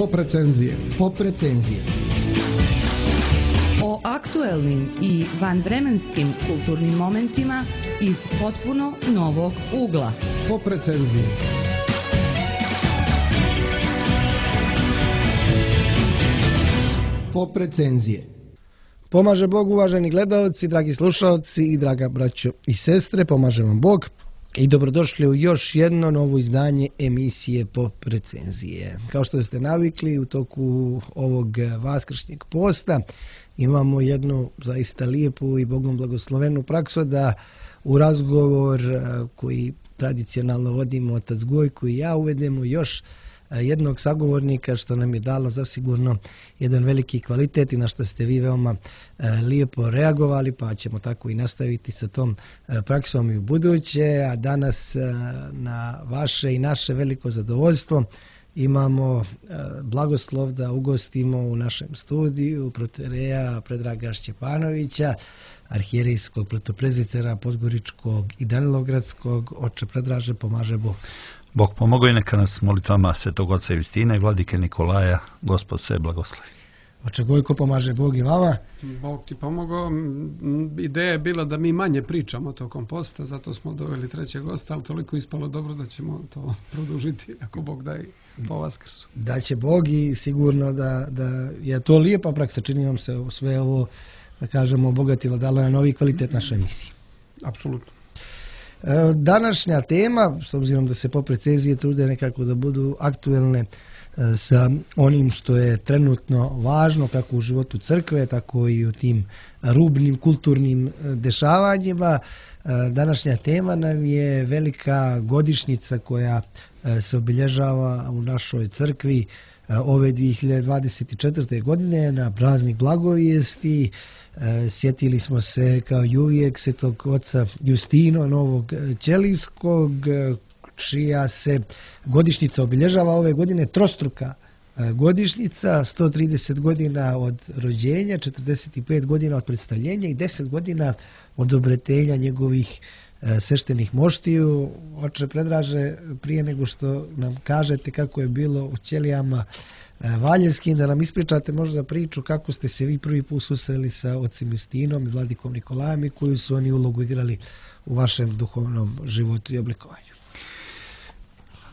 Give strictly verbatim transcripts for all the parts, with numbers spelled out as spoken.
Pop recenzije. Pop recenzije. O aktuelnim i vanvremenskim kulturnim momentima iz potpuno novog ugla. Pop recenzije. Pop recenzije. Pomaže Bog, uvaženi gledaoci, dragi slušaoci i draga braćo i sestre, pomaže vam Bog i dobrodošli u još jedno novo izdanje emisije Pop recenzije. Kao što ste navikli, u toku ovog vaskršnjeg posta imamo jednu zaista lijepu i Bogom blagoslovenu praksu da u razgovor koji tradicionalno vodimo otac Gojko i ja uvedemo još jednog sagovornika, što nam je dalo zasigurno jedan veliki kvalitet i na što ste vi veoma e, lijepo reagovali, pa ćemo tako i nastaviti sa tom e, praksom i u buduće. A danas e, na vaše i naše veliko zadovoljstvo imamo e, blagoslov da ugostimo u našem studiju protoijereja Predraga Šćepanovića, arhijerejskog protoprezbitera Podgoričkog i Danilogradskog. Oče Predraže, pomaže Bog. Bog pomogao i neka nas molitvama Svetog Oca Justina i Vladike Nikolaja Gospod sve blagoslovi. Oče Gojko, pomaže Bog i vama. Bog ti pomogao. Ideja je bila da mi manje pričamo tokom posta, zato smo doveli trećeg gosta, ali toliko ispalo dobro da ćemo to produžiti ako Bog da i po Vaskrsu. Da će Bog i sigurno da, da je to lijepa praksa. Čini vam se sve ovo, da kažemo, obogatilo, dalo je novi kvalitet našoj emisiji. Apsolutno. Današnja tema, s obzirom da se pop recenzije trude nekako da budu aktuelne sa onim što je trenutno važno kako u životu crkve, tako i u tim rubnim kulturnim dešavanjima. Današnja tema nam je velika godišnjica koja se obilježava u našoj crkvi ove dvije hiljade dvadeset četvrte. godine na praznik Blagovijesti. Sjetili smo se kao i uvijek Svetog oca Justina Novog Ćelijskog, čija se godišnjica obilježava ove godine, trostruka godišnjica, sto trideset godina od rođenja, četrdeset pet godina od predstavljenja i deset godina od obretenja njegovih sveštenih moštiju. Oče Predraže, prije nego što nam kažete kako je bilo u Ćelijama Valjevskim, da nam ispričate možda priču kako ste se vi prvi put susreli sa ocem Justinom i Vladikom Nikolajem i koju su oni ulogu igrali u vašem duhovnom životu i oblikovanju.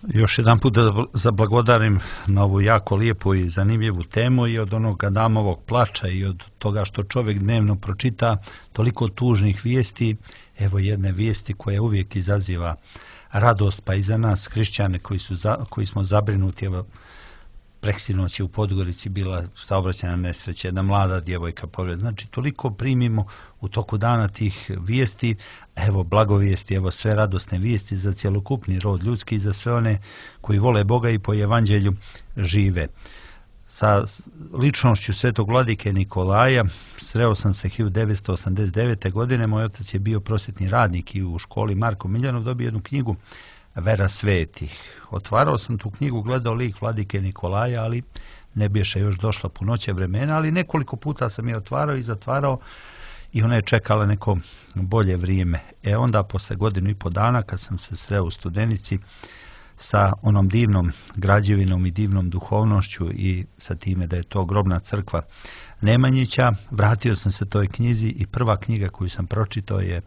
Još jedan put da zablagodarim na ovu jako lijepu i zanimljivu temu i od onog Adamovog plača i od toga što čovjek dnevno pročita toliko tužnih vijesti, evo jedne vijesti koja uvijek izaziva radost, pa i za nas hrišćane koji, su za, koji smo zabrinuti. Evo, preksinoć je u Podgorici bila saobraćajna nesreća, jedna mlada djevojka povrijedi. Znači, toliko primimo u toku dana tih vijesti, evo blagovijesti, evo sve radosne vijesti za cjelokupni rod ljudski i za sve one koji vole Boga i po evanđelju žive. Sa ličnošću Svetog Vladike Nikolaja sreo sam se hiljadu devetsto osamdeset devete. godine. Moj otac je bio prosvjetni radnik i u školi Marko Miljanov dobio jednu knjigu Vera svetih. Otvarao sam tu knjigu, gledao lik Vladike Nikolaja, ali ne biše još došla punoća vremena, ali nekoliko puta sam je otvarao i zatvarao i ona je čekala neko bolje vrijeme. E onda, posle godinu i po dana, kad sam se sreo u Studenici sa onom divnom građevinom i divnom duhovnošću i sa time da je to grobna crkva Nemanjića, vratio sam se toj knjizi i prva knjiga koju sam pročitao je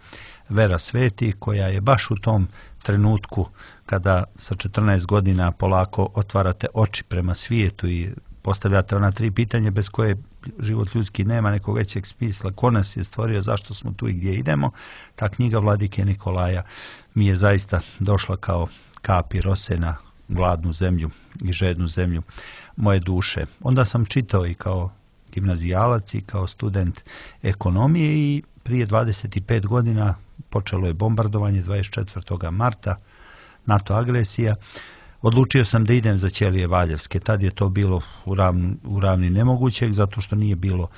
Vera svetih, koja je baš u tom trenutku kada sa četrnaest godina polako otvarate oči prema svijetu i postavljate ona tri pitanja bez koje život ljudski nema nekog većeg smisla. Ko nas je stvorio, zašto smo tu i gdje idemo? Ta knjiga Vladike Nikolaja mi je zaista došla kao kapi rose na gladnu zemlju i žednu zemlju moje duše. Onda sam čitao i kao gimnazijalac i kao student ekonomije i prije dvadeset pet godina počelo je bombardovanje dvadeset četvrtog marta, NATO agresija. Odlučio sam da idem za Ćelije Valjevske. Tad je to bilo u ravni, u ravni nemogućeg, zato što nije bilo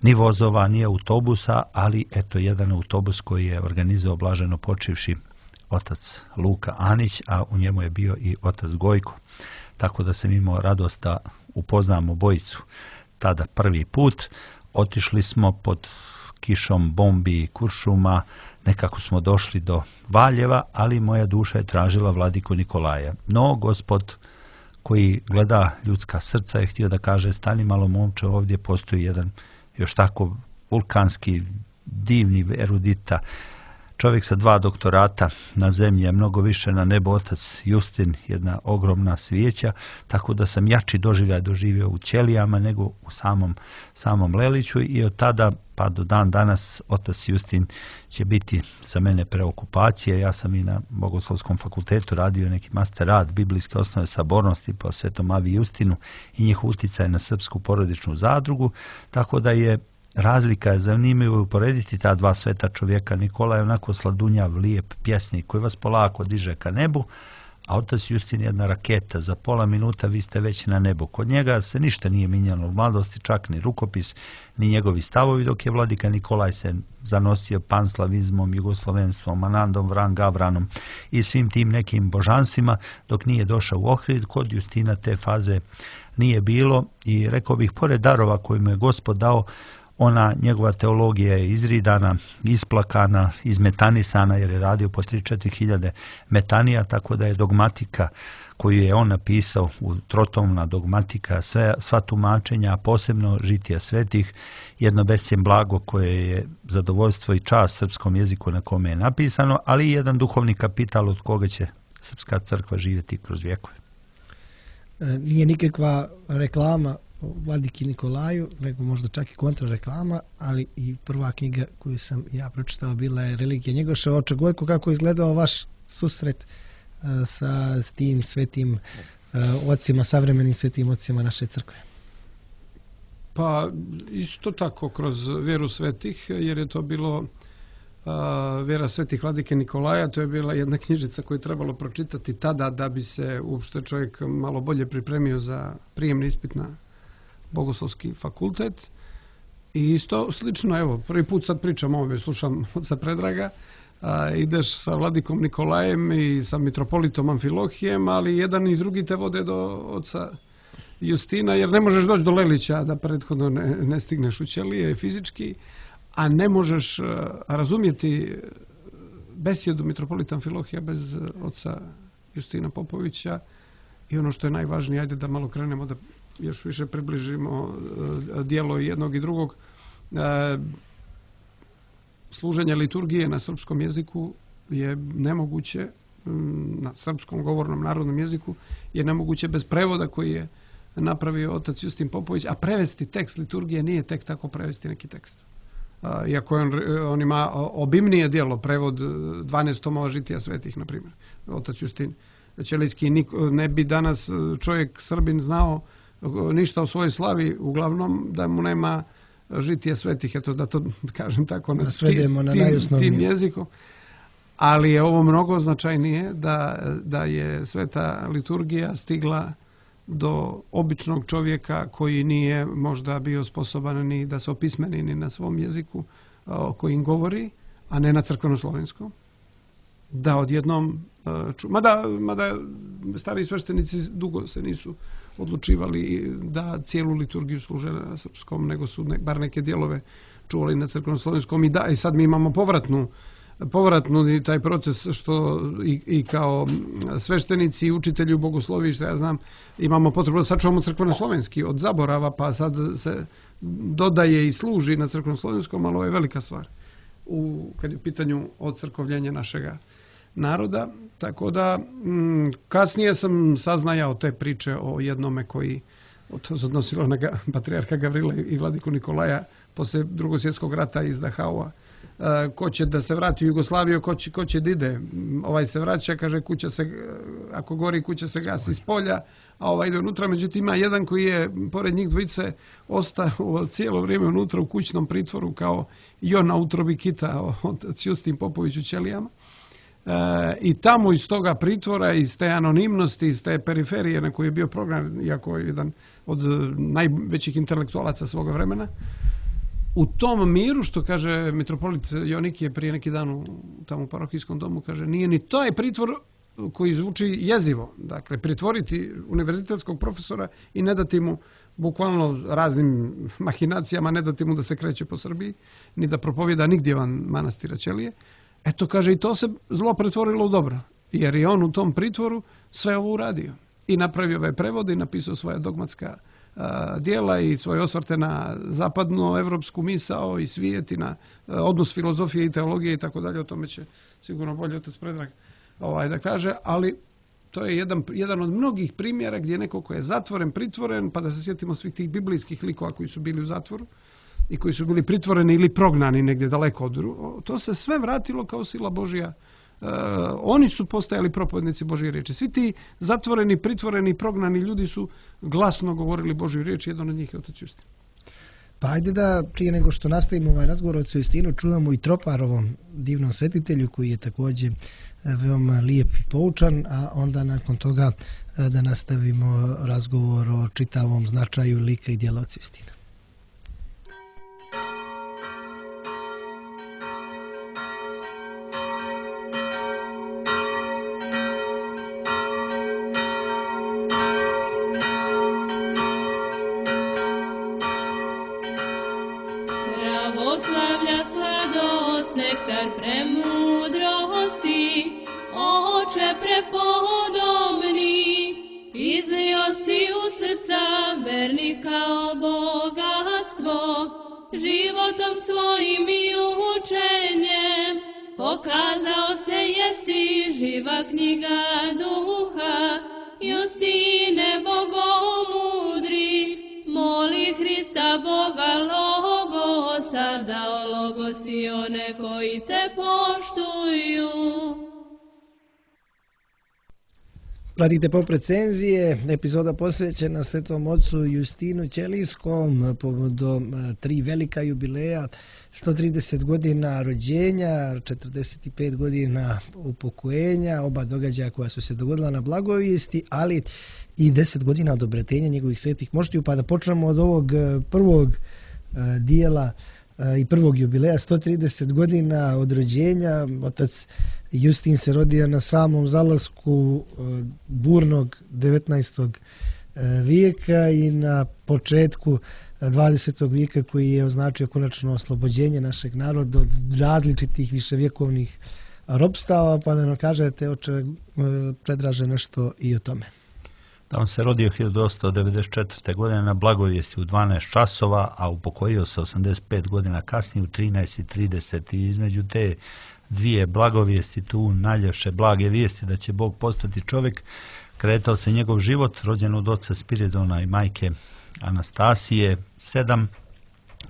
ni vozova, ni autobusa, ali eto jedan autobus koji je organizao blaženo počivši otac Luka Anić, a u njemu je bio i otac Gojko. Tako da sam imao radost da upoznam obojicu tada prvi put. Otišli smo pod kišom bombi i kuršuma, nekako smo došli do Valjeva, ali moja duša je tražila Vladiku Nikolaja. No, Gospod koji gleda ljudska srca je htio da kaže stani malo momče, ovdje postoji jedan još tako vulkanski, divni erudita, čovjek sa dva doktorata na zemlji, mnogo više na nebo, otac Justin, jedna ogromna svijeća, tako da sam jači doživljaj doživio u ćelijama nego u samom, samom Leliću i od tada pa do dan danas otac Justin će biti za mene preokupacija. Ja sam i na Bogoslovskom fakultetu radio neki master rad biblijske osnove sabornosti po Svetom Avi Justinu i njih uticaj na srpsku porodičnu zadrugu, tako da je razlika je zanimljivo uporediti ta dva sveta čovjeka. Nikola je onako sladunjav, lijep pjesnik koji vas polako diže ka nebu, a otac Justin je jedna raketa. Za pola minuta vi ste već na nebu. Kod njega se ništa nije mijenjalo u mladosti, čak ni rukopis, ni njegovi stavovi, dok je vladika Nikolaj se zanosio panslavizmom, jugoslovenstvom, Anandom, Vran, Gavranom i svim tim nekim božanstvima, dok nije došao u Ohrid. Kod Justina te faze nije bilo i rekao bih, pored darova koji mu je Gospod dao, ona njegova teologija je izridana, isplakana, izmetanisana jer je radio po tri do četiri hiljade metanija, tako da je dogmatika koju je on napisao, u trotomna dogmatika, sve, sva tumačenja, posebno žitija svetih, jedno bescjen blago koje je zadovoljstvo i čast srpskom jeziku na kome je napisano, ali i jedan duhovni kapital od koga će srpska crkva živjeti kroz vjekove. Nije nikakva reklama vladiki Nikolaju, nego možda čak i kontrareklama, ali i prva knjiga koju sam ja pročitao bila je Religija Njegoša. Oče Gojko, kako je izgledao vaš susret uh, sa s tim svetim uh, ocima, savremenim svetim ocima naše crkve? Pa isto tako kroz vjeru svetih, jer je to bilo uh, vjera svetih vladike Nikolaja. To je bila jedna knjižica koju je trebalo pročitati tada da bi se uopšte čovjek malo bolje pripremio za prijemni ispit na Bogoslovski fakultet. I isto slično, evo, prvi put sad pričam ovdje, slušam oca Predraga, a, ideš sa vladikom Nikolajem i sa mitropolitom Amfilohijem, ali jedan i drugi te vode do oca Justina, jer ne možeš doći do Lelića da prethodno ne, ne stigneš u ćelije fizički, a ne možeš a, razumjeti besjedu mitropolita Amfilohija bez oca Justina Popovića. I ono što je najvažnije, ajde da malo krenemo da još više približimo dijelo jednog i drugog. Služenje liturgije na srpskom jeziku je nemoguće, na srpskom govornom narodnom jeziku je nemoguće bez prevoda koji je napravio otac Justin Popović, a prevesti tekst liturgije nije tek tako prevesti neki tekst. Iako on, on ima obimnije dijelo, prevod dvanaest tomova žitija svetih, na primjer, otac Justin Ćelijski. Ne bi danas čovjek Srbin znao ništa o svojoj slavi, uglavnom da mu nema žitije svetih, eto da to kažem tako na, svedemo na tim, tim jezikom. Ali je ovo mnogo značajnije da, da je sveta liturgija stigla do običnog čovjeka koji nije možda bio sposoban ni da se opismeni ni na svom jeziku o kojim govori, a ne na crkveno-slovenskom. Da odjednom ču... Mada, mada stari sveštenici dugo se nisu odlučivali da cijelu liturgiju služe na srpskom, nego su ne, bar neke dijelove čuvali na crkveno-slovenskom. I da, i sad mi imamo povratnu, povratnu taj proces što i, i kao sveštenici i učitelji u bogosloviji, što ja znam, imamo potrebu da sačuvamo crkveno-slovenski od zaborava, pa sad se dodaje i služi na crkveno-slovenskom, ali ovo je velika stvar u, kad je u pitanju ocrkovljenja našega naroda. Tako da m, kasnije sam saznajao te priče o jednome koji, to se odnosilo na ga, patrijarha Gavrila i vladiku Nikolaja poslije drugog svjetskog rata iz Dahaua. E, ko će da se vrati u Jugoslaviju, ko će, ko će da ide. Ovaj se vraća, kaže, kuća se, ako gori, kuća se gasi iz polja, a ovaj ide unutra. Međutim, ima jedan koji je, pored njih dvojice, ostao cijelo vrijeme unutra u kućnom pritvoru kao i on na utrobi kita od Justin Popović u ćelijama. E, I tamo iz toga pritvora, iz te anonimnosti, iz te periferije na koji je bio program, iako je jedan od najvećih intelektualaca svoga vremena, u tom miru, što kaže mitropolit Jonikije prije neki dan u tamo u parohijskom domu, kaže, nije ni taj pritvor koji zvuči jezivo. Dakle, pritvoriti univerzitetskog profesora i ne dati mu bukvalno raznim mahinacijama, ne dati mu da se kreće po Srbiji, ni da propovjeda nigdje van manastira ćelije. Eto, kaže, i to se zlo pretvorilo u dobro, jer je on u tom pritvoru sve ovo uradio. i napravio ove prevode i napisao svoja dogmatska a, dijela i svoje osvrte na zapadnu evropsku misao i svijet i na a, odnos filozofije i teologije i tako dalje. O tome će sigurno bolje otac Predrag ovaj, da kaže, ali to je jedan, jedan od mnogih primjera gdje neko ko je zatvoren, pritvoren, pa da se sjetimo svih tih biblijskih likova koji su bili u zatvoru i koji su bili pritvoreni ili prognani negdje daleko od drugog, to se sve vratilo kao sila Božja. Uh, oni su postajali propovjednici Božje riječi. Svi ti zatvoreni, pritvoreni, prognani ljudi su glasno govorili Božju riječ, jedan od njih je otac Justin. Pa ajde da prije nego što nastavimo ovaj razgovor o ocu Justinu čujemo i Troparovom divnom svetitelju koji je također veoma lijep i poučan, a onda nakon toga da nastavimo razgovor o čitavom značaju lika i djela oca Justina. Pravoslavlja sladost, nektar premudrosti, Oče prepodobni, izlio si u srca vernika o bogatstvo, životom svojim i učenjem, pokazao se jesi živa knjiga duha, Justine bogomudri, moli Hrista Boga Logosa, dao Logosi one koji te poštuju. Pratite Pop recenzije, epizoda posvećena Svetom ocu Justinu Ćelijskom povodom tri velika jubileja, sto trideset godina rođenja, četrdeset pet godina upokojenja, oba događaja koja su se dogodila na Blagovijesti, ali i deset godina od obretenja njegovih svetih moštiju. Pa da počnemo od ovog prvog dijela i prvog jubileja, sto trideset godina od rođenja. Otac Justin se rodio na samom zalasku burnog devetnaestog vijeka i na početku dvadesetog vijeka koji je označio konačno oslobođenje našeg naroda od različitih viševjekovnih ropstava. Pa ne kažete, oče Predraže, nešto i o tome. Da, on se rodio hiljadu osamsto devedeset četvrte. godine na Blagovijesti u dvanaest časova, a upokojio se osamdeset pet godina kasnije u trinaest i trideset. I između te dvije blagovijesti, tu najljepše blage vijesti da će Bog postati čovjek, kretao se njegov život, rođen od oca Spiridona i majke Anastasije. Sedam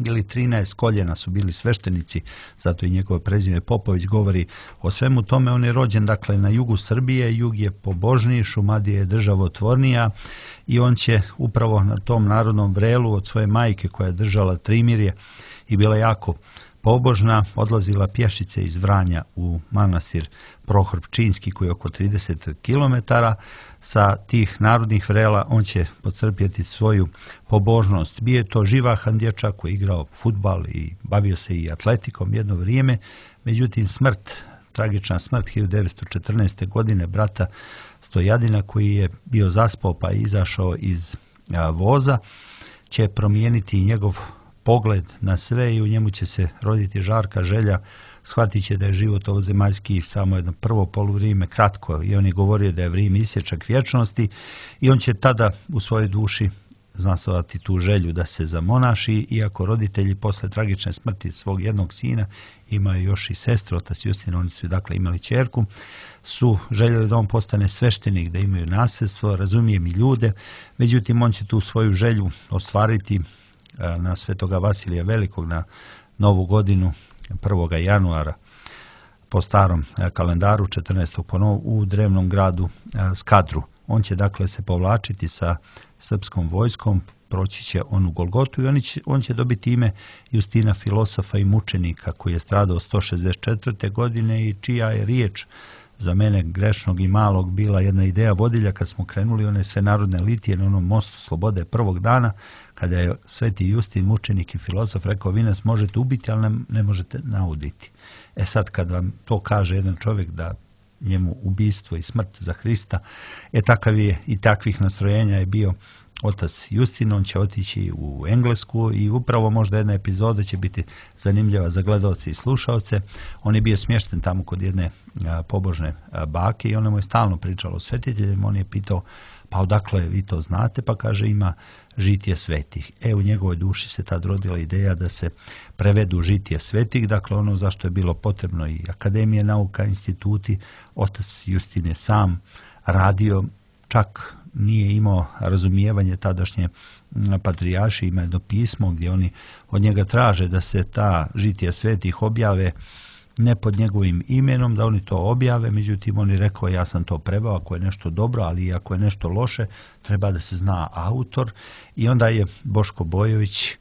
ili trinaest koljena su bili sveštenici, zato i njegovo prezime Popović govori o svemu tome. On je rođen dakle na jugu Srbije, jug je pobožniji, Šumadija je državotvornija i on će upravo na tom narodnom vrelu od svoje majke koja je držala trimirje i bila jako pobožna, odlazila pješice iz Vranja u manastir Prohor Pčinjski koji je oko trideset kilometara. Sa tih narodnih vrela on će podcrpjeti svoju pobožnost. Bio je to živahan dječak koji je igrao fudbal i bavio se i atletikom jedno vrijeme, međutim smrt, tragična smrt hiljadu devetsto četrnaeste. godine brata Stojadina koji je bio zaspao pa je izašao iz a, voza, će promijeniti njegov pogled na sve i u njemu će se roditi žarka želja. Shvatit će da je život ovozemaljski samo jedno prvo poluvrijeme kratko i on je govorio da je vrijeme isječak vječnosti i on će tada u svojoj duši znasovati tu želju da se zamonaši, iako roditelji posle tragične smrti svog jednog sina imaju još i sestru, otac Justin, oni su dakle imali ćerku, su željeli da on postane sveštenik, da imaju nasljedstvo, razumijem i ljude, međutim on će tu svoju želju ostvariti na Svetoga Vasilija Velikog na Novu godinu prvog januara po starom kalendaru četrnaestog u drevnom gradu Skadru. On će dakle se povlačiti sa srpskom vojskom, proći će on u Golgotu i on će, on će dobiti ime Justina filosofa i mučenika koji je stradao sto šezdeset četvrte. godine i čija je riječ za mene grešnog i malog bila jedna ideja vodilja kad smo krenuli one sve narodne litije na onom mostu slobode prvog dana, kada je sveti Justin, mučenik i filosof, rekao vi nas možete ubiti, ali ne, ne možete nauditi. E sad kad vam to kaže jedan čovjek da njemu ubistvo i smrt za Hrista, e takav je i takvih nastrojenja je bio otac Justin, on će otići u Englesku i upravo možda jedna epizoda će biti zanimljiva za gledalce i slušalce. On je bio smješten tamo kod jedne a, pobožne a, bake i ona mu je stalno pričala o svetiteljima. On je pitao, pa odakle vi to znate? Pa kaže, ima žitije svetih. E, u njegovoj duši se tad rodila ideja da se prevedu žitije svetih, dakle ono zašto je bilo potrebno i akademije nauka, instituti. Otac Justin je sam radio, čak nije imao razumijevanje tadašnje patrijarši, ima jedno pismo gdje oni od njega traže da se ta žitija svetih objave ne pod njegovim imenom, da oni to objave, međutim on je rekao, ja sam to preveo, ako je nešto dobro, ali ako je nešto loše, treba da se zna autor. I onda je Boško Bojović,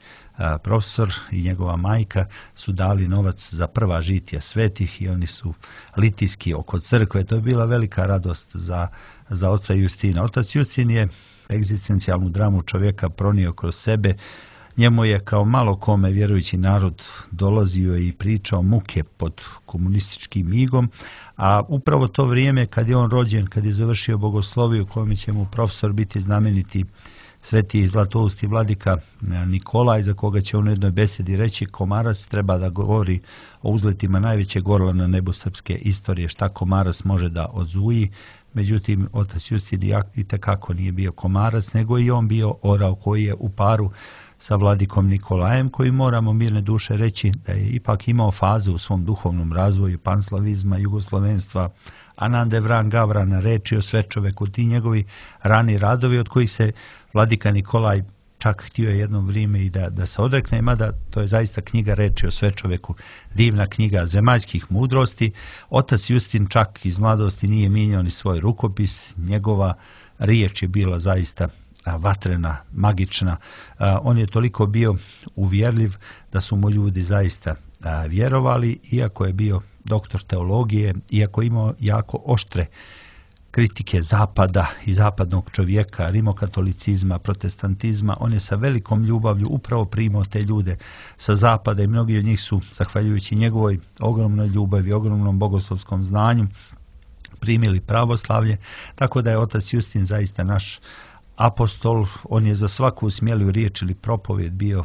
profesor i njegova majka su dali novac za prva žitija svetih i oni su litijski oko crkve. To je bila velika radost za, za oca Justina. Otac Justin je egzistencijalnu dramu čovjeka pronio kroz sebe. Njemu je kao malo kome vjerujući narod dolazio i pričao muke pod komunističkim igom, a upravo to vrijeme kad je on rođen, kad je završio bogosloviju, kome će mu profesor biti znameniti sveti zlatousti vladika Nikolaj, za koga će on u jednoj besedi reći, Komarac treba da govori o uzletima najvećeg orla na nebu srpske istorije, šta Komarac može da odzuji. Međutim, otac Justin itekako nije bio komarac, nego i on bio orao koji je u paru sa vladikom Nikolajem, koji moramo mirne duše reći da je ipak imao fazu u svom duhovnom razvoju panslavizma, jugoslovenstva, Anande Vran Gavrana, reči o Svečoveku, ti njegovi rani radovi od kojih se vladika Nikolaj čak htio je jedno vrijeme i da, da se odrekne, mada to je zaista knjiga reči o Svečoveku, divna knjiga zemaljskih mudrosti. Otac Justin čak iz mladosti nije mijenjao ni svoj rukopis, njegova riječ je bila zaista vatrena, magična. On je toliko bio uvjerljiv da su mu ljudi zaista vjerovali, iako je bio doktor teologije, iako je imao jako oštre kritike zapada i zapadnog čovjeka, rimokatolicizma, protestantizma. On je sa velikom ljubavlju upravo primao te ljude sa zapada i mnogi od njih su, zahvaljujući njegovoj ogromnoj ljubavi, ogromnom bogoslovskom znanju, primili pravoslavlje, tako da je otac Justin zaista naš apostol. On je za svaku smjeliju riječ ili propovjed bio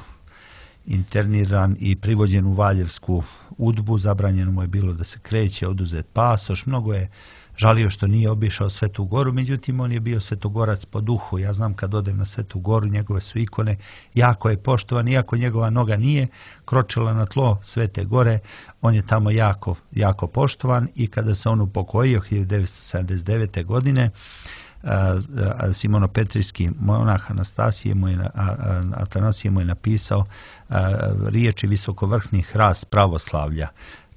interniran i privođen u Valjevsku udbu, zabranjeno mu je bilo da se kreće, oduzet pasoš, mnogo je žalio što nije obišao Svetu Goru, međutim on je bio svetogorac po duhu. Ja znam kad odem na Svetu Goru, njegove su ikone, jako je poštovan, iako njegova noga nije kročila na tlo Svete Gore, on je tamo jako, jako poštovan i kada se on upokojio hiljadu devetsto sedamdeset devete. godine, Simonopetrijski monah Anastasije mu je, Atanasije mu je napisao riječi visokovrhni hrast pravoslavlja,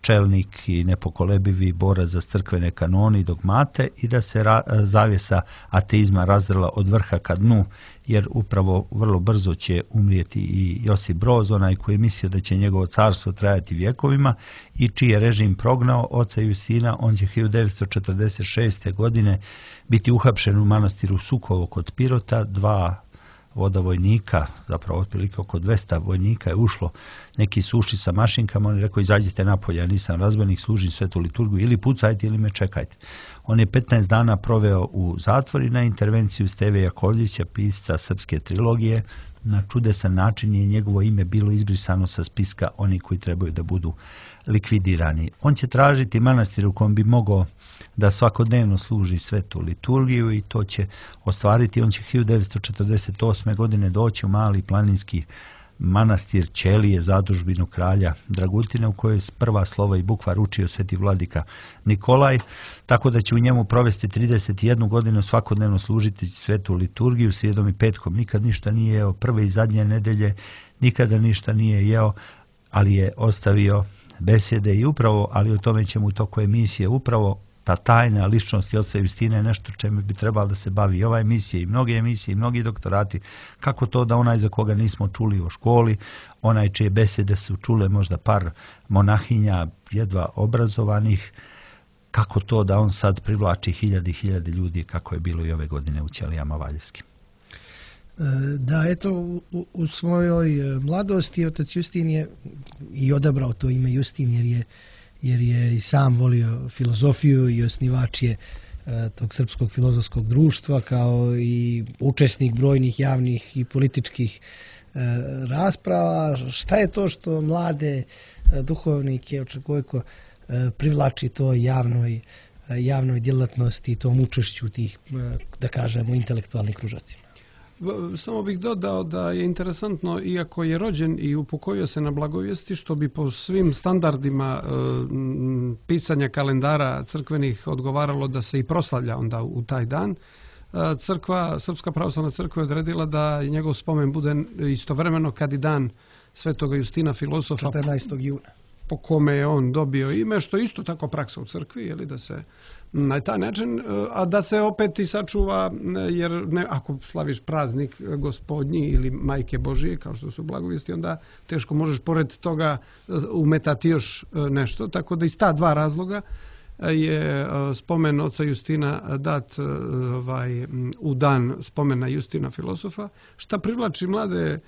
čelnik i nepokolebivi borac za crkvene kanone i dogmate, i da se ra, zavjesa ateizma razdrla od vrha ka dnu, jer upravo vrlo brzo će umrijeti i Josip Broz, onaj koji je mislio da će njegovo carstvo trajati vjekovima i čiji je režim prognao oca Justina. On će hiljadu devetsto četrdeset šeste. godine biti uhapšen u manastiru Sukovo kod Pirota. Dva voda vojnika, zapravo otprilike oko dvesta vojnika je ušlo, neki su ušli sa mašinkama, on je rekao izađite napolje, ja nisam razbojnik, služim svetu liturgiju, ili pucajte ili me čekajte. On je petnaest dana proveo u zatvoru na intervenciju Steve Jakovljevića, pisca srpske trilogije. Na čudesan način je njegovo ime bilo izbrisano sa spiska onih koji trebaju da budu likvidirani. On će tražiti manastir u kojem bi mogao da svakodnevno služi svetu liturgiju i to će ostvariti. On će hiljadu devetsto četrdeset osme. godine doći u mali planinski manastir Ćelije, zadužbinu kralja Dragutina, u kojoj je prva slova i bukvar učio sveti vladika Nikolaj, tako da će u njemu provesti trideset jednu godinu svakodnevno služiti svetu liturgiju srijedom i petkom. Nikad ništa nije jeo, prve i zadnje nedelje nikada ništa nije jeo, ali je ostavio besede i upravo, ali o tome ćemo u toku emisije, upravo ta tajna ličnost oca Justina je nešto čemu bi trebalo da se bavi i ova emisija i mnoge emisije i mnogi doktorati. Kako to da onaj za koga nismo čuli u školi, onaj čije besede su čule možda par monahinja jedva obrazovanih, kako to da on sad privlači hiljade i hiljade ljudi, kako je bilo i ove godine u Ćelijama Valjevskim. Da, eto, u, u svojoj mladosti otac Justin je i odabrao to ime Justin jer je jer je i sam volio filozofiju i osnivač je uh, tog srpskog filozofskog društva, kao i učesnik brojnih javnih i političkih rasprava. Šta je to što mlade duhovnike očekujko privlači to javnoj, javnoj djelatnosti i tom učešću tih, da kažemo, intelektualnih kružocima? Samo bih dodao da je interesantno, iako je rođen i upokojio se na Blagovijesti, što bi po svim standardima e, pisanja kalendara crkvenih odgovaralo da se i proslavlja onda u taj dan, crkva, Srpska pravoslavna crkva je odredila da njegov spomen bude istovremeno kad i dan Svetoga Justina filozofa, četrnaestog juna. Po kome je on dobio ime, što je isto tako praksa u crkvi, je li, da se na taj način, a da se opet i sačuva, jer ne, ako slaviš praznik Gospodnji ili Majke Božije, kao što su Blagovijesti, onda teško možeš pored toga umetati još nešto, tako da iz ta dva razloga je spomen oca Justina dat ovaj, u dan spomena Justina filozofa, šta privlači mlade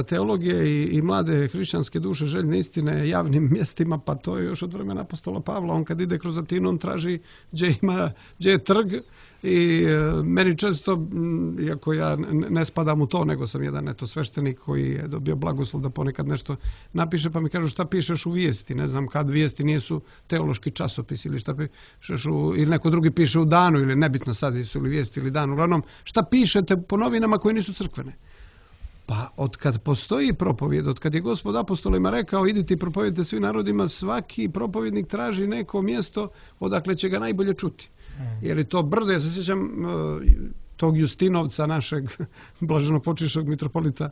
teologije i, i mlade hrišćanske duše željne istine javnim mjestima, pa to je još od vremena apostola Pavla. On kad ide kroz Atinu, on traži gdje ima, gdje je trg i e, meni često, m, iako ja ne spadam u to, nego sam jedan eto sveštenik koji je dobio blagoslov da ponekad nešto napiše, pa mi kažu šta pišeš u vijesti, ne znam kad vijesti nisu teološki časopis ili šta pišeš u, ili neko drugi piše u danu ili nebitno sad su li vijesti ili dan, uglavnom šta pišete po novinama koje nisu crkvene. Pa od kad postoji propovjed, od kad je Gospod apostolima rekao idite i propovedite svim narodima, svaki propovjednik traži neko mjesto odakle će ga najbolje čuti. Jer je to brdo, ja se sjećam uh, tog Justinovca našeg blaženopočivšeg mitropolita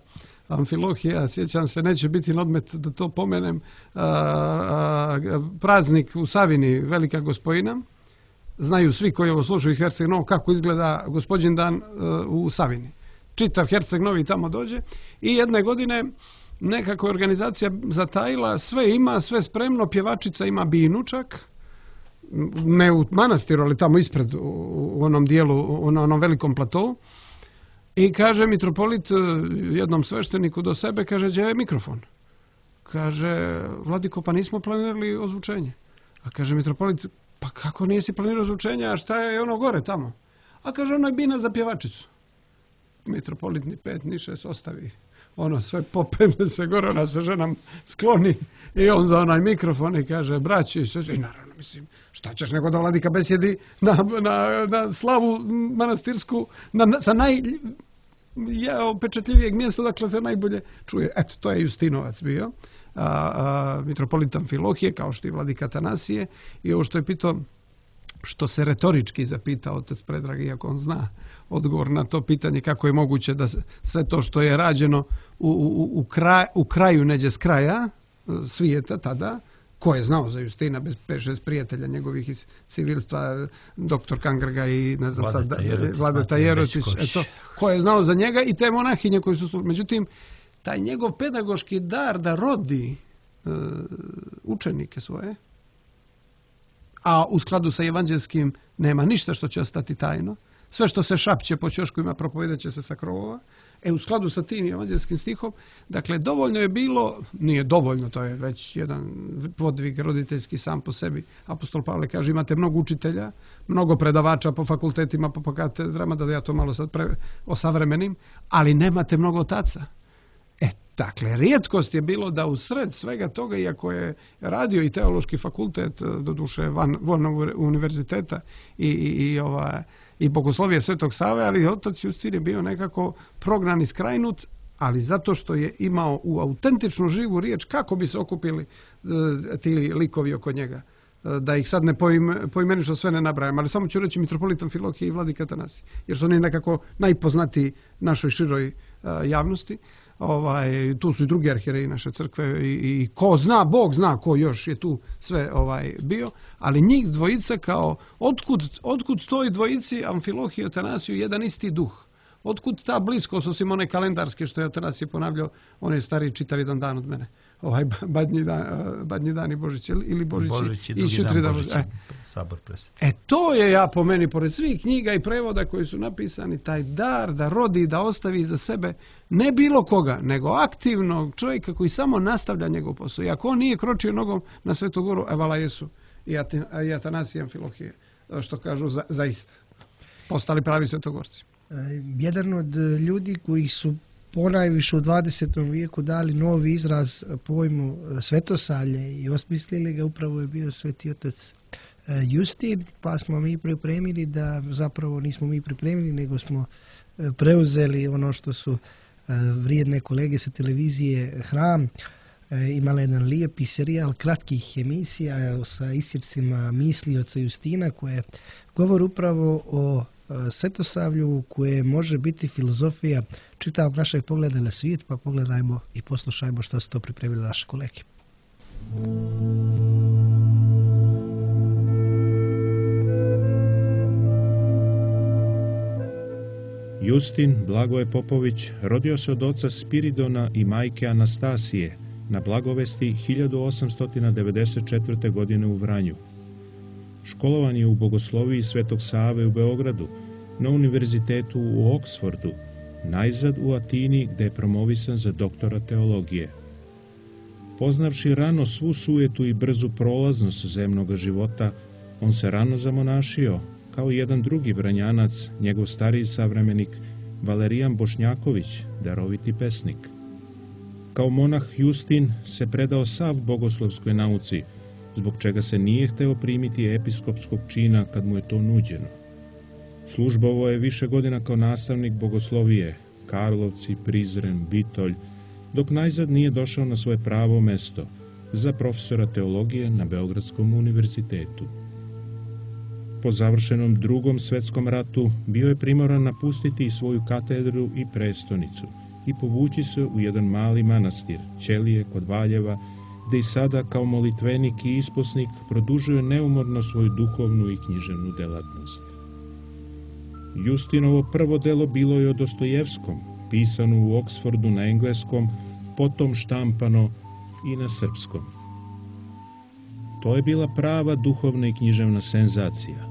Amfilohija, sjećam se, neće biti na odmet da to pomenem, uh, uh, praznik u Savini, Velika Gospojina. Znaju svi koji ovo slušaju iz Herceg Novog kako izgleda Gospodin dan uh, u Savini. Čitav Herceg Novi tamo dođe i jedne godine nekako je organizacija zatajila, sve ima, sve spremno, pjevačica ima binu čak, ne u manastiru, ali tamo ispred u onom dijelu, na onom velikom platovu. I kaže mitropolit jednom svešteniku do sebe, kaže, gdje je mikrofon? Kaže, Vladiko, pa nismo planirali ozvučenje. A kaže mitropolit, pa kako nisi planirao ozvučenje, a šta je ono gore tamo? A kaže, ono je bina za pjevačicu. Mitropolit ni pet, ni šest ostavi. Ono sve popene se gore, ona se ženam skloni i on za onaj mikrofon i kaže, braći, i naravno, mislim, šta ćeš nego da vladika besjedi na, na, na slavu manastirsku, na, na, sa naj... Ja, opečetljivijeg mjesta dakle se najbolje čuje. Eto, to je Justinovac bio, a, a, mitropolit Amfilohije, kao što i vladika Atanasije. I ovo što je pitao, što se retorički zapita otac Predrag, iako on zna odgovor na to pitanje kako je moguće da sve to što je rađeno u, u, u, kraj, u kraju neđe s kraja svijeta tada, ko je znao za Justina bez pet šest prijatelja njegovih iz civilstva, doktor Kangrga i ne znam sad, Vladeta Jerotić, eto, ko je znao za njega i te monahinje koji su... Međutim, taj njegov pedagoški dar da rodi uh, učenike svoje, a u skladu sa evanđelskim nema ništa što će ostati tajno, sve što se šapće po ćoškovima propovedat će se sa krovova. E, u skladu sa tim evanđelskim stihom, dakle, dovoljno je bilo, nije dovoljno, to je već jedan podvig roditeljski sam po sebi. Apostol Pavle kaže, imate mnogo učitelja, mnogo predavača po fakultetima, po katedrama, da ja to malo sad pre, osavremenim, ali nemate mnogo otaca. E, dakle, rijetkost je bilo da u sred svega toga, iako je radio i teološki fakultet, doduše van Vojnog univerziteta i, i, i ova... i bogoslovije Svetog Save, ali otac Justin je bio nekako prognan i skrajnut, ali zato što je imao u autentičnu živu riječ kako bi se okupili e, ti likovi oko njega. E, da ih sad ne poime, poimenično sve ne nabrajam, ali samo ću reći mitropolit Amfilohije i vladika Atanasije, jer su oni nekako najpoznatiji našoj široj e, javnosti. Ovaj, tu su i drugi arhijereji naše crkve i, i ko zna, Bog zna ko još je tu sve ovaj bio, ali njih dvojica kao, otkud, otkud toj dvojici Amfilohije i Atanasiju jedan isti duh? Otkud ta bliskost, osim one kalendarske što je Atanasije ponavljao, on je stariji čitav jedan dan od mene. Ovaj badnji dan, badnji dan i Božić ili Božić, Božić i i drugi dan Božić, e. sabor presveti. E to je, ja po meni, pored svih knjiga i prevoda koji su napisani, taj dar da rodi, da ostavi za sebe ne bilo koga, nego aktivnog čovjeka koji samo nastavlja njegov posao. I ako on nije kročio nogom na Svetu Goru, evala Jesu i Atanasije i Amfilohije. što kažu, za, zaista postali pravi svetogorci. Jedan od ljudi koji su ponajviše u dvadesetom vijeku dali novi izraz pojmu svetosavlje i osmislili ga upravo je bio sveti otac Justin, pa smo mi pripremili da, zapravo nismo mi pripremili, nego smo preuzeli ono što su vrijedne kolege sa televizije Hram imala jedan lijepi serijal kratkih emisija sa isjecima misli oca Justina koje govor upravo o svetosavlju koje može biti filozofija čitavog našeg pogleda na svijet, pa pogledajmo i poslušajmo što su to pripremili naše kolege. Justin Blagoje Popović rodio se od oca Spiridona i majke Anastasije na Blagovesti hiljadu osamsto devedeset četvrte. godine u Vranju. Školovan je u bogosloviji Svetog Save u Beogradu, na univerzitetu u Oksfordu, najzad u Atini gde je promovisan za doktora teologije. Poznavši rano svu sujetu i brzu prolaznost zemnog života, on se rano zamonašio, kao jedan drugi Vranjanac, njegov stariji savremenik Valerijan Bošnjaković, daroviti pesnik. Kao monah Justin se predao sav bogoslovskoj nauci, zbog čega se nije hteo primiti episkopskog čina kad mu je to nuđeno. Službovao je više godina kao nastavnik bogoslovije, Karlovci, Prizren, Bitolj, dok najzad nije došao na svoje pravo mesto za profesora teologije na Beogradskom univerzitetu. Po završenom drugom svetskom ratu bio je primoran napustiti i svoju katedru i prestonicu i povući se u jedan mali manastir, Ćelije kod Valjeva, gde i sada kao molitvenik i isposnik produžuje neumorno svoju duhovnu i književnu delatnost. Justinovo prvo delo bilo je o Dostojevskom, pisano u Oksfordu na engleskom, potom štampano i na srpskom. To je bila prava duhovna i književna senzacija.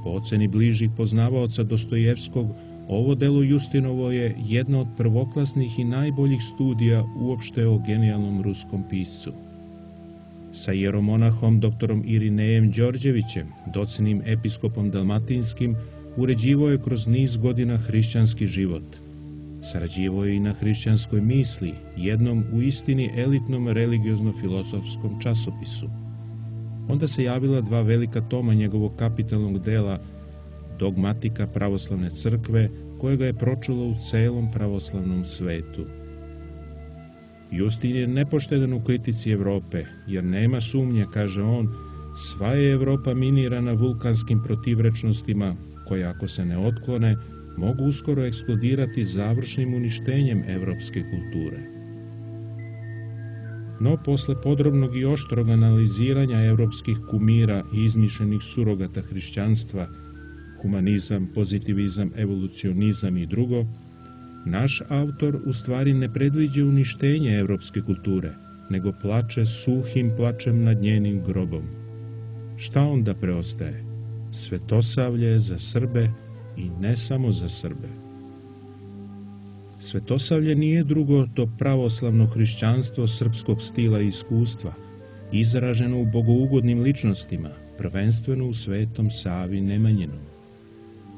Po oceni bližih poznavaoca Dostojevskog, ovo delo Justinovo je jedna od prvoklasnih i najboljih studija uopšte o genijalnom ruskom piscu. Sa jeromonahom doktorom Irinejem Đorđevićem, docnim episkopom dalmatinskim, uređivao je kroz niz godina hrišćanski život. Sarađivao je i na hrišćanskoj misli, jednom u istini elitnom religiozno-filozofskom časopisu. Onda se javila dva velika toma njegovog kapitalnog dela Dogmatika pravoslavne crkve, kojega je pročulo u celom pravoslavnom svetu. Justin je nepoštedan u kritici Evrope, jer nema sumnje, kaže on, sva je Evropa minirana vulkanskim protivrečnostima, koje ako se ne otklone, mogu uskoro eksplodirati završnim uništenjem evropske kulture. No, posle podrobnog i oštrog analiziranja evropskih kumira i izmišljenih surogata hrišćanstva, humanizam, pozitivizam, evolucionizam i drugo, naš autor u stvari ne predviđa uništenje evropske kulture, nego plače suhim plačem nad njenim grobom. Šta onda preostaje? Svetosavlje za Srbe i ne samo za Srbe. Svetosavlje nije drugo to pravoslavno hrišćanstvo srpskog stila i iskustva, izraženo u bogougodnim ličnostima, prvenstveno u Svetom Savi Nemanjinom.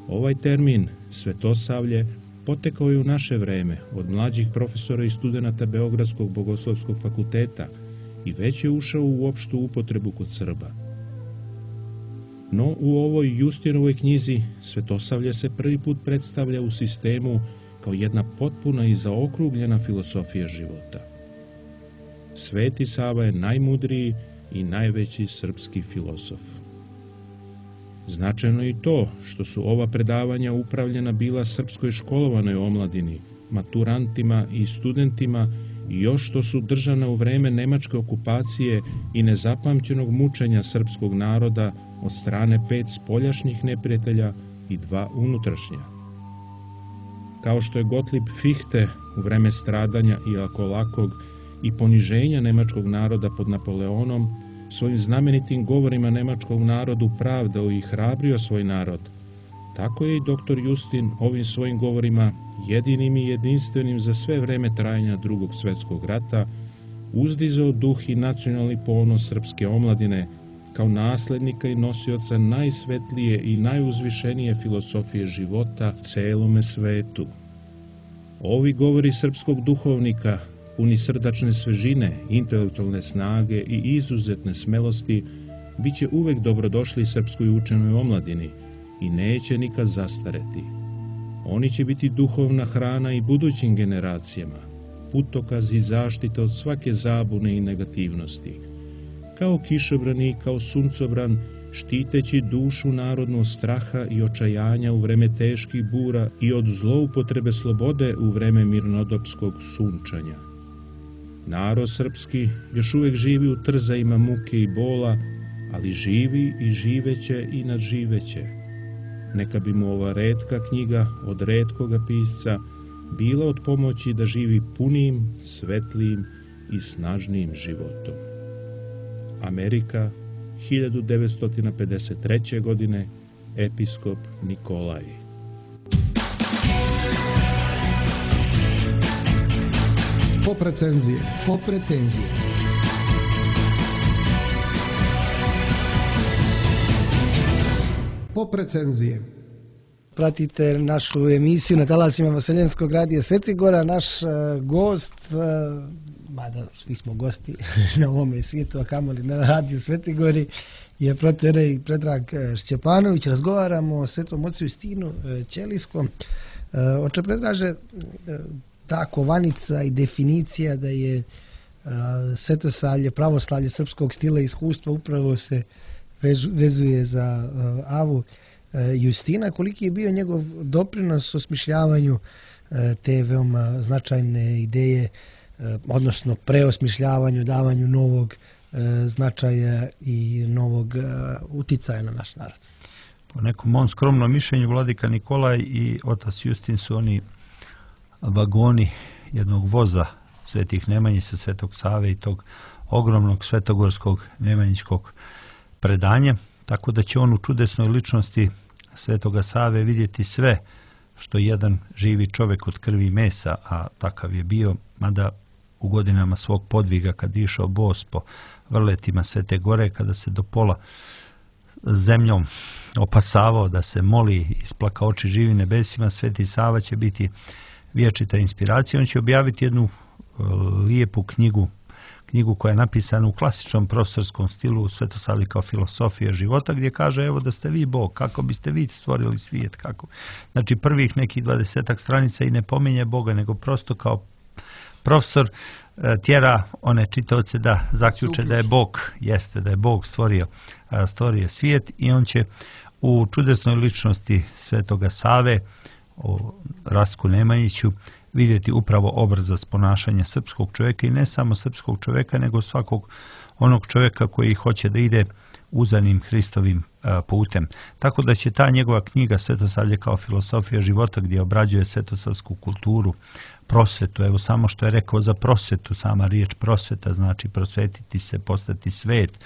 Ovaj termin, svetosavlje, potekao je u naše vreme od mlađih profesora i studenata Beogradskog bogoslovskog fakulteta i već je ušao u opštu upotrebu kod Srba. No, u ovoj Justinovoj knjizi svetosavlje se prvi put predstavlja u sistemu kao jedna potpuna i zaokrugljena filosofija života. Sveti Sava je najmudriji i najveći srpski filosof. Značajno je i to što su ova predavanja upravljena bila srpskoj školovanoj omladini, maturantima i studentima i još što su držana u vreme nemačke okupacije i nezapamćenog mučenja srpskog naroda od strane pet spoljašnjih neprijatelja i dva unutrašnja. Kao što je Gottlieb Fichte u vreme stradanja i lakolakog i poniženja nemačkog naroda pod Napoleonom svojim znamenitim govorima nemačkog narodu pravdao i hrabrio svoj narod, tako je i doktor Justin ovim svojim govorima, jedinim i jedinstvenim za sve vreme trajanja Drugog svetskog rata, uzdizao duh i nacionalni ponos srpske omladine kao naslednika i nosioca najsvetlije i najuzvišenije filosofije života celome svetu. Ovi govori srpskog duhovnika, puni srdačne svežine, intelektualne snage i izuzetne smelosti, bit će uvek dobrodošli srpskoj učenoj omladini i neće nikad zastareti. Oni će biti duhovna hrana i budućim generacijama, putokaz i zaštita od svake zabune i negativnosti. Kao kišobran i kao suncobran, štiteći dušu narodnu od straha i očajanja u vreme teških bura i od zloupotrebe slobode u vreme mirnodopskog sunčanja. Narod srpski još uvek živi u trzajima muke i bola, ali živi i živeće i nadživeće. Neka bi mu ova retka knjiga od retkoga pisca bila od pomoći da živi punim, svetlijim i snažnijim životom. Amerika, hiljadu devetsto pedeset treće. godine, episkop Nikolaj. Pop recenzije. Pop recenzije. Pop recenzije. Pratite našu emisiju na talasima Vaseljenskog radija Svetigora. Naš uh, gost, uh, mada svi smo gosti na ovome svijetu, a kamoli na radiju Svetigori, je proterej Predrag Šćepanović. Razgovaramo o Svetom ocu Justinu uh, Ćelijskom. Uh, oče Predraže, uh, ta kovanica i definicija da je uh, svetosavlje, pravoslavlje srpskog stila i iskustva upravo se vež, vezuje za uh, Avu Justina, koliki je bio njegov doprinos osmišljavanju te veoma značajne ideje, odnosno preosmišljavanju, davanju novog značaja i novog uticaja na naš narod. Po nekom mom skromnom mišljenju, vladika Nikolaj i otac Justin su oni vagoni jednog voza Svetih Nemanjica, Svetog Save i tog ogromnog svetogorskog nemanjičkog predanja, tako da će on u čudesnoj ličnosti Svetoga Save vidjeti sve što jedan živi čovjek od krvi i mesa, a takav je bio, mada u godinama svog podviga kad je išao bos po vrletima Svete Gore, kada se do pola zemljom opasavao da se moli, isplaka oči živi nebesima, Sveti Sava će biti vječita inspiracija. On će objaviti jednu lijepu knjigu, knjigu koja je napisana u klasičnom profesorskom stilu Svetosavlje kao filosofija života, gdje kaže evo da ste vi Bog, kako biste vi stvorili svijet, kako. Znači prvih nekih dvadesetak stranica i ne pominje Boga, nego prosto kao profesor tjera one čitaoce da zaključe da je Bog, jeste da je Bog stvorio, stvorio svijet, i on će u čudesnoj ličnosti Svetoga Save, o Rastku Nemanjiću, vidjeti upravo obrazaz ponašanja srpskog čovjeka, i ne samo srpskog čovjeka, nego svakog onog čovjeka koji hoće da ide uzanim Hristovim putem. Tako da će ta njegova knjiga Svetosavlje kao filosofija života, gdje obrađuje svetosavsku kulturu, prosvetu, evo samo što je rekao za prosvetu, sama riječ prosveta znači prosvetiti se, postati svet,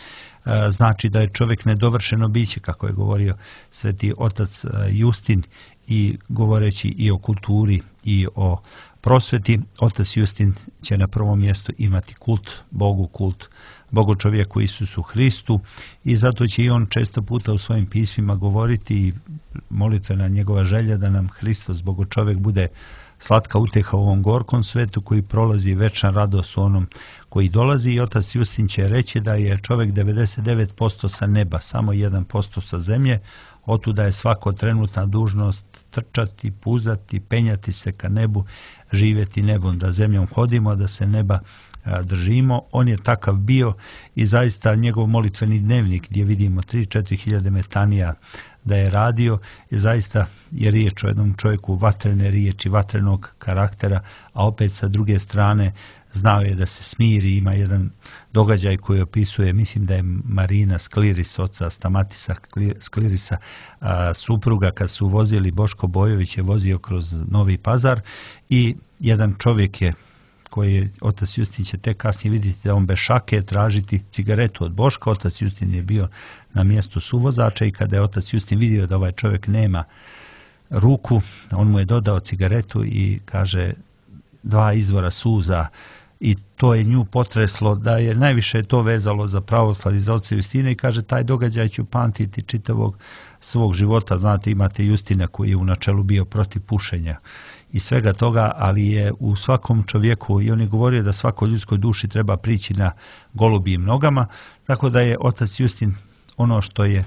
znači da je čovjek nedovršeno biće, kako je govorio sveti otac Justin, i govoreći i o kulturi i o prosveti, otac Justin će na prvom mjestu imati kult Bogu, kult Bogu čovjeku Isusu Hristu, i zato će i on često puta u svojim pismima govoriti, i molitvena njegova želja da nam Hristos Bogu čovjek bude slatka uteha u ovom gorkom svetu koji prolazi, večna radost u onom koji dolazi. I otac Justin će reći da je čovjek devedeset devet posto sa neba, samo jedan posto sa zemlje, otuda je svako trenutna dužnost trčati, puzati, penjati se ka nebu, živjeti nebom, da zemljom hodimo, da se neba a, držimo. On je takav bio, i zaista njegov molitveni dnevnik gdje vidimo tri do četiri hiljade metanija da je radio, i zaista je riječ o jednom čovjeku vatrene riječi, vatrenog karaktera, a opet sa druge strane znao je da se smiri. Ima jedan događaj koji opisuje, mislim da je Marina Skliris, oca Stamatisa Sklirisa, a, supruga, kad su vozili, Boško Bojović je vozio kroz Novi Pazar, i jedan čovjek je, koji je otac Justin će tek kasnije vidjeti da on bez šake tražiti cigaretu od Boška. Otac Justin je bio na mjestu suvozača, i kada je otac Justin vidio da ovaj čovjek nema ruku, on mu je dodao cigaretu i kaže, dva izvora suza i to je nju potreslo, da je najviše to vezalo za pravoslavlje, za oca Justina, i kaže taj događaj ću pamtiti čitavog svog života. Znate, imate Justina koji je u načelu bio protiv pušenja i svega toga, ali je u svakom čovjeku, i on je govorio da svakoj ljudskoj duši treba prići na golubijim nogama, tako da je otac Justin ono što je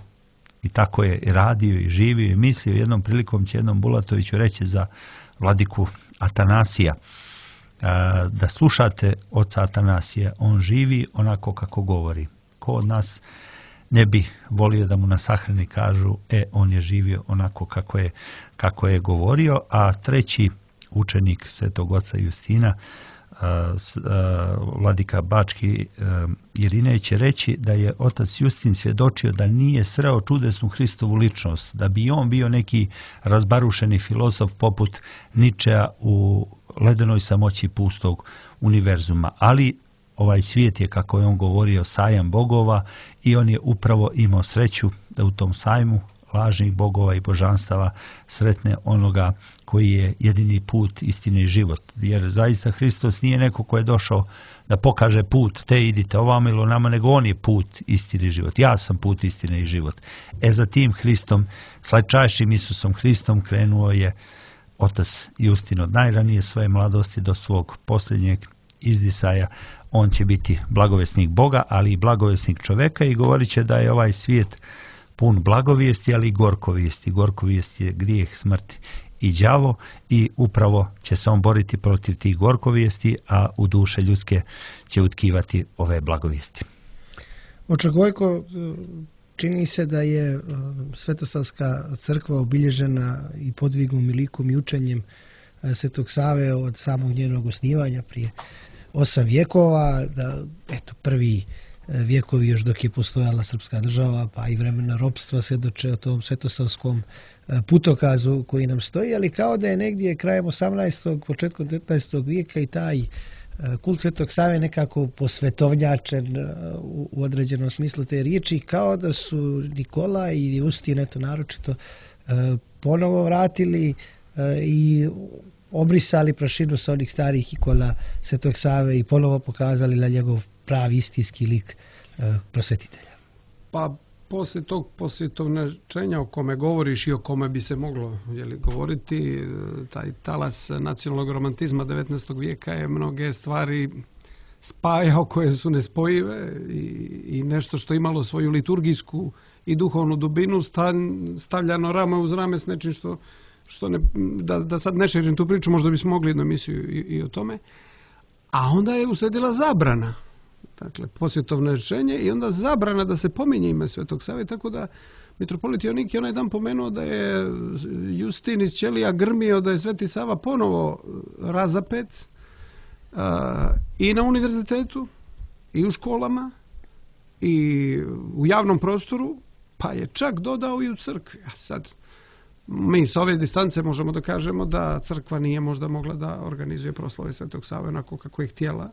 i tako je i radio i živio i mislio. Jednom prilikom će jednom Bulatoviću reći za vladiku Atanasija, da slušate oca Atanasija, on živi onako kako govori. Ko od nas ne bi volio da mu na sahrani kažu, e, on je živio onako kako je, kako je govorio. A treći učenik svetog oca Justina, vladika Bački Irinej, će reći da je otac Justin svjedočio da nije sreo čudesnu Hristovu ličnost, da bi on bio neki razbarušeni filozof poput Ničea u ledenoj samoći pustog univerzuma, ali ovaj svijet je, kako je on govorio, sajam bogova, i on je upravo imao sreću da u tom sajmu lažnih bogova i božanstava sretne onoga koji je jedini put, istine i život. Jer zaista Hristos nije neko ko je došao da pokaže put, te idite ovamo ili onamo, nego on je put, istine i život. Ja sam put, istine i život. E za tim Hristom, slatčajšim Isusom Hristom, krenuo je otac Justin od najranije svoje mladosti do svog posljednjeg izdisaja. On će biti blagovesnik Boga, ali i blagovesnik čoveka, i govorit će da je ovaj svijet pun blagovijesti, ali i gorkovijesti. Gorkovijest je grijeh, smrt i đavo, i upravo će se on boriti protiv tih gorkovijesti, a u duše ljudske će utkivati ove blagovijesti. Oče Gojko, čini se da je Svetosavska crkva obilježena i podvigom i likom i učenjem Svetog Save od samog njenog osnivanja prije osam vjekova, da eto prvi vjekovi još dok je postojala srpska država, pa i vremena ropstva svjedoče o tom svetosavskom putokazu koji nam stoji, ali kao da je negdje krajem osamnaestog početkom devetnaestog vijeka i taj kult Svetog Save nekako posvetovnjačen u određenom smislu te riječi, kao da su Nikola i Justin, eto naročito, ponovo vratili i obrisali prašinu sa onih starih ikola Svetog Save i ponovo pokazali na njegov pravi istinski lik prosvetitelja. Pa poslije tog posvjetovnjačenja o kome govoriš i o kome bi se moglo jeli, govoriti, taj talas nacionalnog romantizma devetnaestog vijeka je mnoge stvari spajao koje su nespojive i, i nešto što imalo svoju liturgijsku i duhovnu dubinu stavljano rame uz rame s nečim što, što ne, da, da sad ne širim tu priču, možda bismo mogli jednu emisiju i, i o tome. A onda je usledila zabrana. Dakle, posvjetovnjačenje i onda zabrana da se pominje ime Svetog Save, tako da mitropolit Jonik je onaj dan pomenuo da je Justin iz ćelija grmio da je Sveti Sava ponovo razapet a, i na univerzitetu i u školama i u javnom prostoru, pa je čak dodao i u crkvi. A sad, mi s ove distance možemo da kažemo da crkva nije možda mogla da organizuje proslave Svetog Save onako kako je htjela,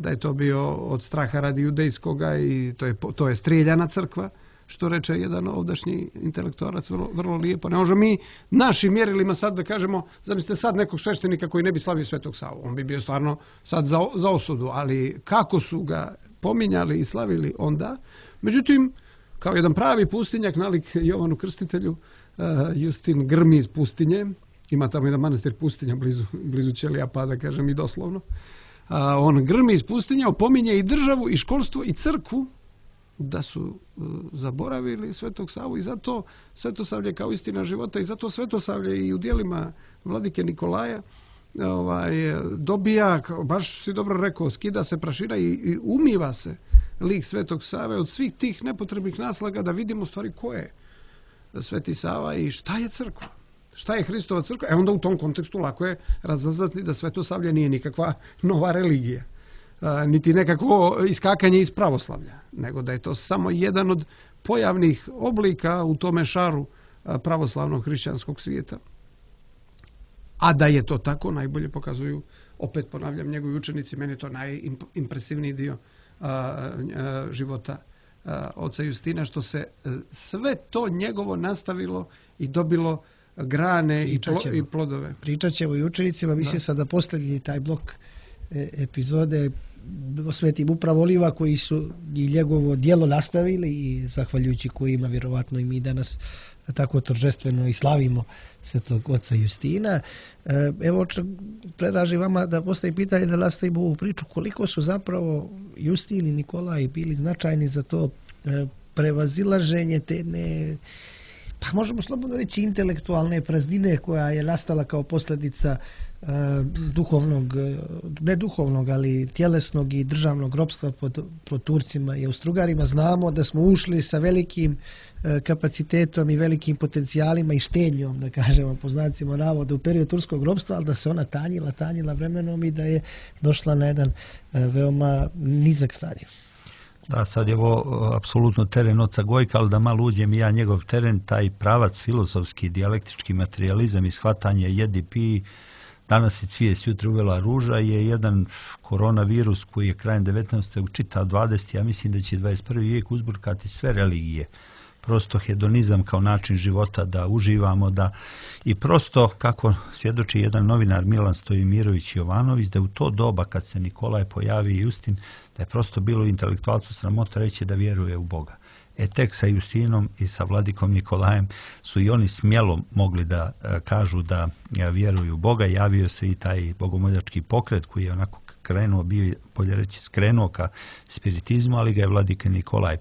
da je to bio od straha radi judejskoga i to je, to je strijeljana crkva, što reče jedan ovdašnji intelektorac vrlo, vrlo lijepo. Ne možemo mi našim mjerilima sad da kažemo, zamislite sad nekog sveštenika koji ne bi slavio Svetog Savu, on bi bio stvarno sad za, za osudu, ali kako su ga pominjali i slavili onda. Međutim, kao jedan pravi pustinjak, nalik Jovanu Krstitelju, uh, Justin grmi iz pustinje, ima tamo jedan manastir pustinja blizu, blizu ćelija, pa da kažem i doslovno. A on grmi iz pustinja, opominje i državu i školstvo i crkvu da su uh, zaboravili Svetog Savu i zato Svetosavlje kao istina života i zato Svetosavlje i u dijelima vladike Nikolaja ovaj, dobija, baš si dobro rekao, skida se prašina i, i umiva se lik Svetog Save od svih tih nepotrebnih naslaga da vidimo stvari ko je Sveti Sava i šta je crkva. Šta je Hristova crkva? E onda u tom kontekstu lako je razaznati da Svetosavlje nije nikakva nova religija, a, niti nekako iskakanje iz pravoslavlja, nego da je to samo jedan od pojavnih oblika u tome šaru a, pravoslavnog hrišćanskog svijeta. A da je to tako, najbolje pokazuju, opet ponavljam, njegovi učenici, meni je to najimpresivniji dio a, a, života a, oca Justina, što se a, sve to njegovo nastavilo i dobilo grane i, plo, i plodove. Pričat ćemo i učenicima, mislim sad da posljednji taj blok epizode osvetim upravo oliva koji su i njegovo djelo nastavili i zahvaljujući kojima vjerovatno i mi danas tako торжествено i slavimo svetog oca Justina. Evo, predlaži vama da postavi pitanje, da nastavimo ovu priču, koliko su zapravo Justin i Nikolaj bili značajni za to prevazilaženje te ne, pa možemo slobodno reći intelektualne praznine koja je nastala kao posljedica uh, duhovnog, ne duhovnog, ali tjelesnog i državnog ropstva pod, pod Turcima i Austrougarima. Znamo da smo ušli sa velikim uh, kapacitetom i velikim potencijalima i štednjom, da kažemo po znacima navoda, u periodu turskog ropstva, ali da se ona tanjila, tanjila vremenom i da je došla na jedan uh, veoma nizak stadij. Da, sad je ovo apsolutno teren oca Gojka, ali da malo uđem i ja njegov teren, taj pravac filozofski, dijalektički materializam i shvatanje jedi pi, danas je cvijet, jutra uvela ruža, je jedan koronavirus koji je krajem devetnaestog učitao dvadeset. Ja mislim da će dvadeset prvi vijek uzburkati sve religije. Prosto hedonizam kao način života, da uživamo, da i prosto, kako svjedoči jedan novinar Milan Stojimirović Jovanović, da u to doba kad se Nikolaj pojavi i Justin, da je prosto bilo intelektualcu sramota reći da vjeruje u Boga. E tek sa Justinom i sa vladikom Nikolajem su i oni smjelo mogli da e, kažu da e, vjeruju u Boga. Javio se i taj bogomoljački pokret koji je onako krenuo, bio, bolje reći, skrenuo ka spiritizmu, ali ga je vladika Nikolaj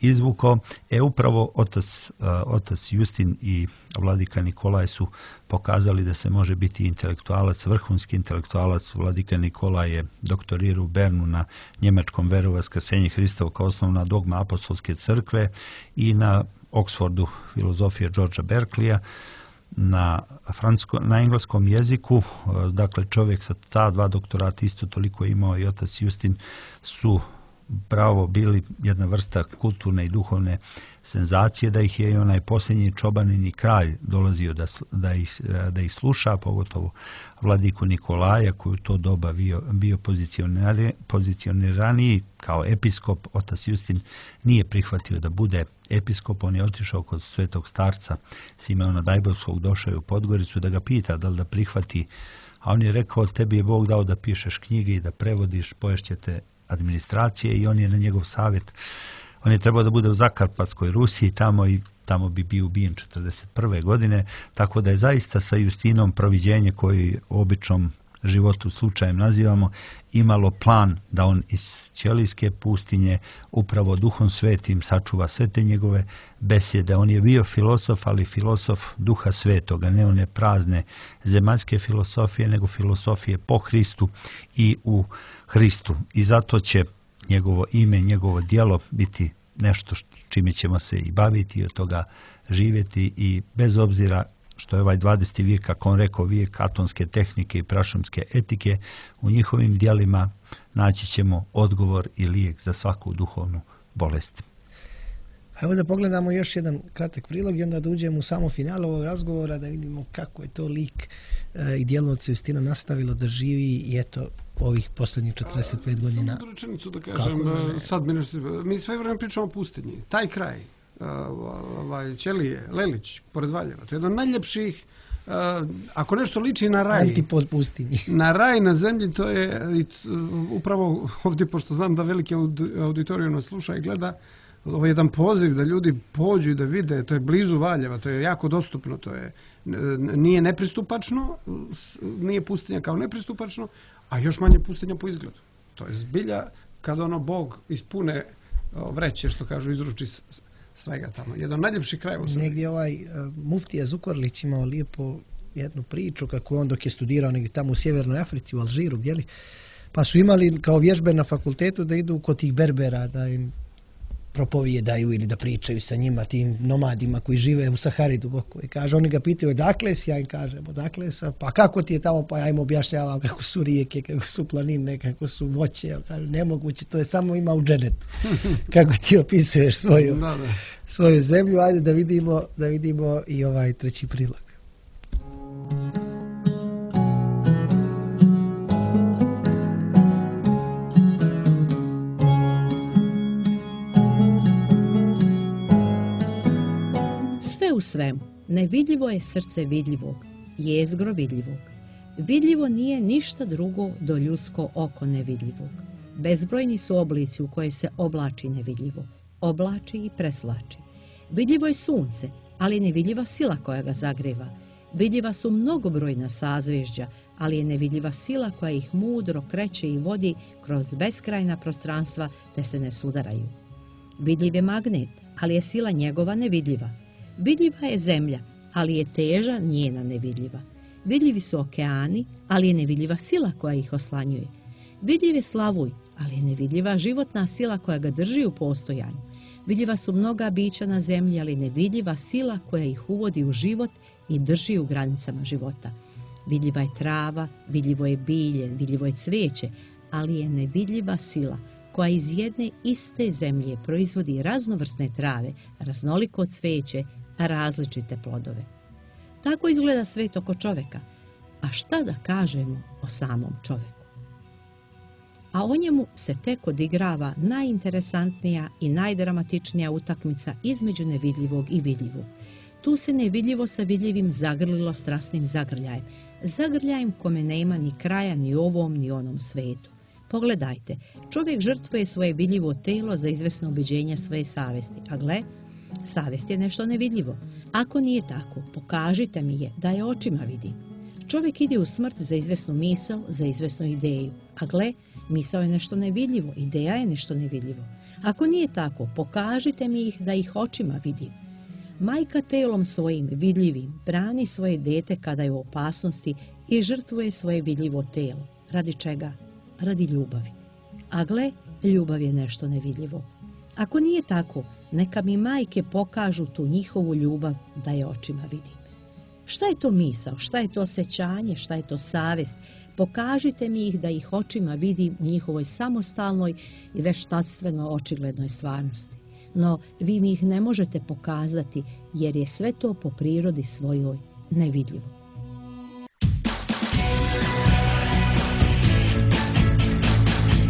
izvukao. E upravo otac, uh, otac Justin i vladika Nikolaj su pokazali da se može biti intelektualac, vrhunski intelektualac. Vladika Nikolaj je doktorirao u Bernu na njemačkom veru vaskrsenje Hristova kao osnovna dogma apostolske crkve i na Oxfordu filozofije Georgea Berkeleya, na, francusko, na engleskom jeziku. Dakle, čovjek sa ta dva doktorata isto toliko imao i otac Justin su pravo bili jedna vrsta kulturne i duhovne senzacije, da ih je i onaj posljednji čobanini kralj dolazio da, da, ih, da ih sluša, pogotovo vladiku Nikolaja koji u to doba bio, bio pozicioniraniji kao episkop. Otac Justin nije prihvatio da bude episkop, on je otišao kod svetog starca Simeona Dajbovskog, došao je u Podgoricu da ga pita da li da prihvati, a on je rekao, tebi je Bog dao da pišeš knjige i da prevodiš, poješćete administracije, i on je na njegov savjet, on je trebao da bude u Zakarpatskoj Rusiji tamo i tamo bi bio ubijen četrdeset prve godine, tako da je zaista sa Justinom proviđenje koji u običnom životu slučajem nazivamo, imalo plan da on iz ćelijske pustinje upravo duhom svetim sačuva sve te njegove besjede. On je bio filosof, ali filosof duha svetoga, ne one prazne zemaljske filosofije, nego filosofije po Hristu i u Hristu. I zato će njegovo ime, njegovo djelo biti nešto čime ćemo se i baviti i od toga živjeti, i bez obzira što je ovaj dvadeseti vijek, kako on rekao, vijek atomske tehnike i prašumske etike, u njihovim djelima naći ćemo odgovor i lijek za svaku duhovnu bolest. Evo da pogledamo još jedan kratak prilog i onda da uđemo u samo finale ovog razgovora, da vidimo kako je to lik e, i djelo od Justina nastavilo da živi i eto ovih posljednjih četrdeset pet godina. Samo rečenicu da kažem, da sad mi, nešto, mi sve vreme pričamo o pustinji. Taj kraj, uh, ovaj, Ćelije, Lelić, pored Valjeva, to je jedan od najljepših, uh, ako nešto liči na raj, antipod pustinji. Na raj na zemlji, to je uh, upravo ovdje, pošto znam da veliki auditoriju nas sluša i gleda, ovo je jedan poziv da ljudi pođu i da vide, to je blizu Valjeva, to je jako dostupno, to je, nije nepristupačno, nije pustinja kao nepristupačno, a još manje pustinja po izgledu. To je zbilja kad ono Bog ispune vreće, što kažu, izruči svega tamo. Jedan najljepši kraj u Srbiji. Negdje ovaj uh, muftija Zukorlić imao lijepo jednu priču kako on dok je studirao negdje tamo u Sjevernoj Africi, u Alžiru, gdje li, pa su imali kao vježbe na fakultetu da idu kod tih Berbera, da im propovijedaju ili da pričaju sa njima, tim nomadima koji žive u Sahari duboko. I kaže, oni ga pitaju, odakle si? Ja im kažem, odakle sam? Pa kako ti je tamo? Pa ja im objašnjavam kako su rijeke, kako su planine, kako su voće. Ja kažem, nemoguće, to je samo ima u dženetu. Kako ti opisuješ svoju, da, da. svoju zemlju? Ajde da vidimo, da vidimo i ovaj treći prilog. U svemu, nevidljivo je srce vidljivog, jezgro vidljivog. Vidljivo nije ništa drugo do ljudsko oko nevidljivog. Bezbrojni su oblici u koje se oblači nevidljivo, oblači i preslači. Vidljivo je sunce, ali nevidljiva sila koja ga zagreva. Vidljiva su mnogobrojna sazvježđa, ali je nevidljiva sila koja ih mudro kreće i vodi kroz beskrajna prostranstva te se ne sudaraju. Vidljiv je magnet, ali je sila njegova nevidljiva. Vidljiva je zemlja, ali je teža njena nevidljiva. Vidljivi su okeani, ali je nevidljiva sila koja ih oslanjuje. Vidljiv je slavuj, ali je nevidljiva životna sila koja ga drži u postojanju. Vidljiva su mnoga bića na zemlji, ali nevidljiva sila koja ih uvodi u život i drži u granicama života. Vidljiva je trava, vidljivo je bilje, vidljivo je cvijeće, ali je nevidljiva sila koja iz jedne iste zemlje proizvodi raznovrsne trave, raznoliko cvijeće, različite plodove. Tako izgleda svet oko čovjeka. A šta da kažemo o samom čovjeku? A o njemu se tek odigrava najinteresantnija i najdramatičnija utakmica između nevidljivog i vidljivog. Tu se nevidljivo sa vidljivim zagrlilo strasnim zagrljajem, zagrljajem kome nema ni kraja ni ovom ni onom svetu. Pogledajte, čovjek žrtvuje svoje vidljivo telo za izvesno ubeđenje svoje savesti, a gle, savest je nešto nevidljivo. Ako nije tako, pokažite mi je da je očima vidim. Čovjek ide u smrt za izvesnu misao, za izvesnu ideju, a gle, misao je nešto nevidljivo, ideja je nešto nevidljivo. Ako nije tako, pokažite mi ih da ih očima vidim. Majka telom svojim vidljivim brani svoje dete kada je u opasnosti i žrtvuje svoje vidljivo telo. Radi čega? Radi ljubavi. A gle, ljubav je nešto nevidljivo. Ako nije tako, neka mi majke pokažu tu njihovu ljubav da je očima vidim. Šta je to misao, šta je to osjećanje, šta je to savest? Pokažite mi ih da ih očima vidim u njihovoj samostalnoj i veštatstveno očiglednoj stvarnosti. No, vi mi ih ne možete pokazati jer je sve to po prirodi svojoj nevidljivo.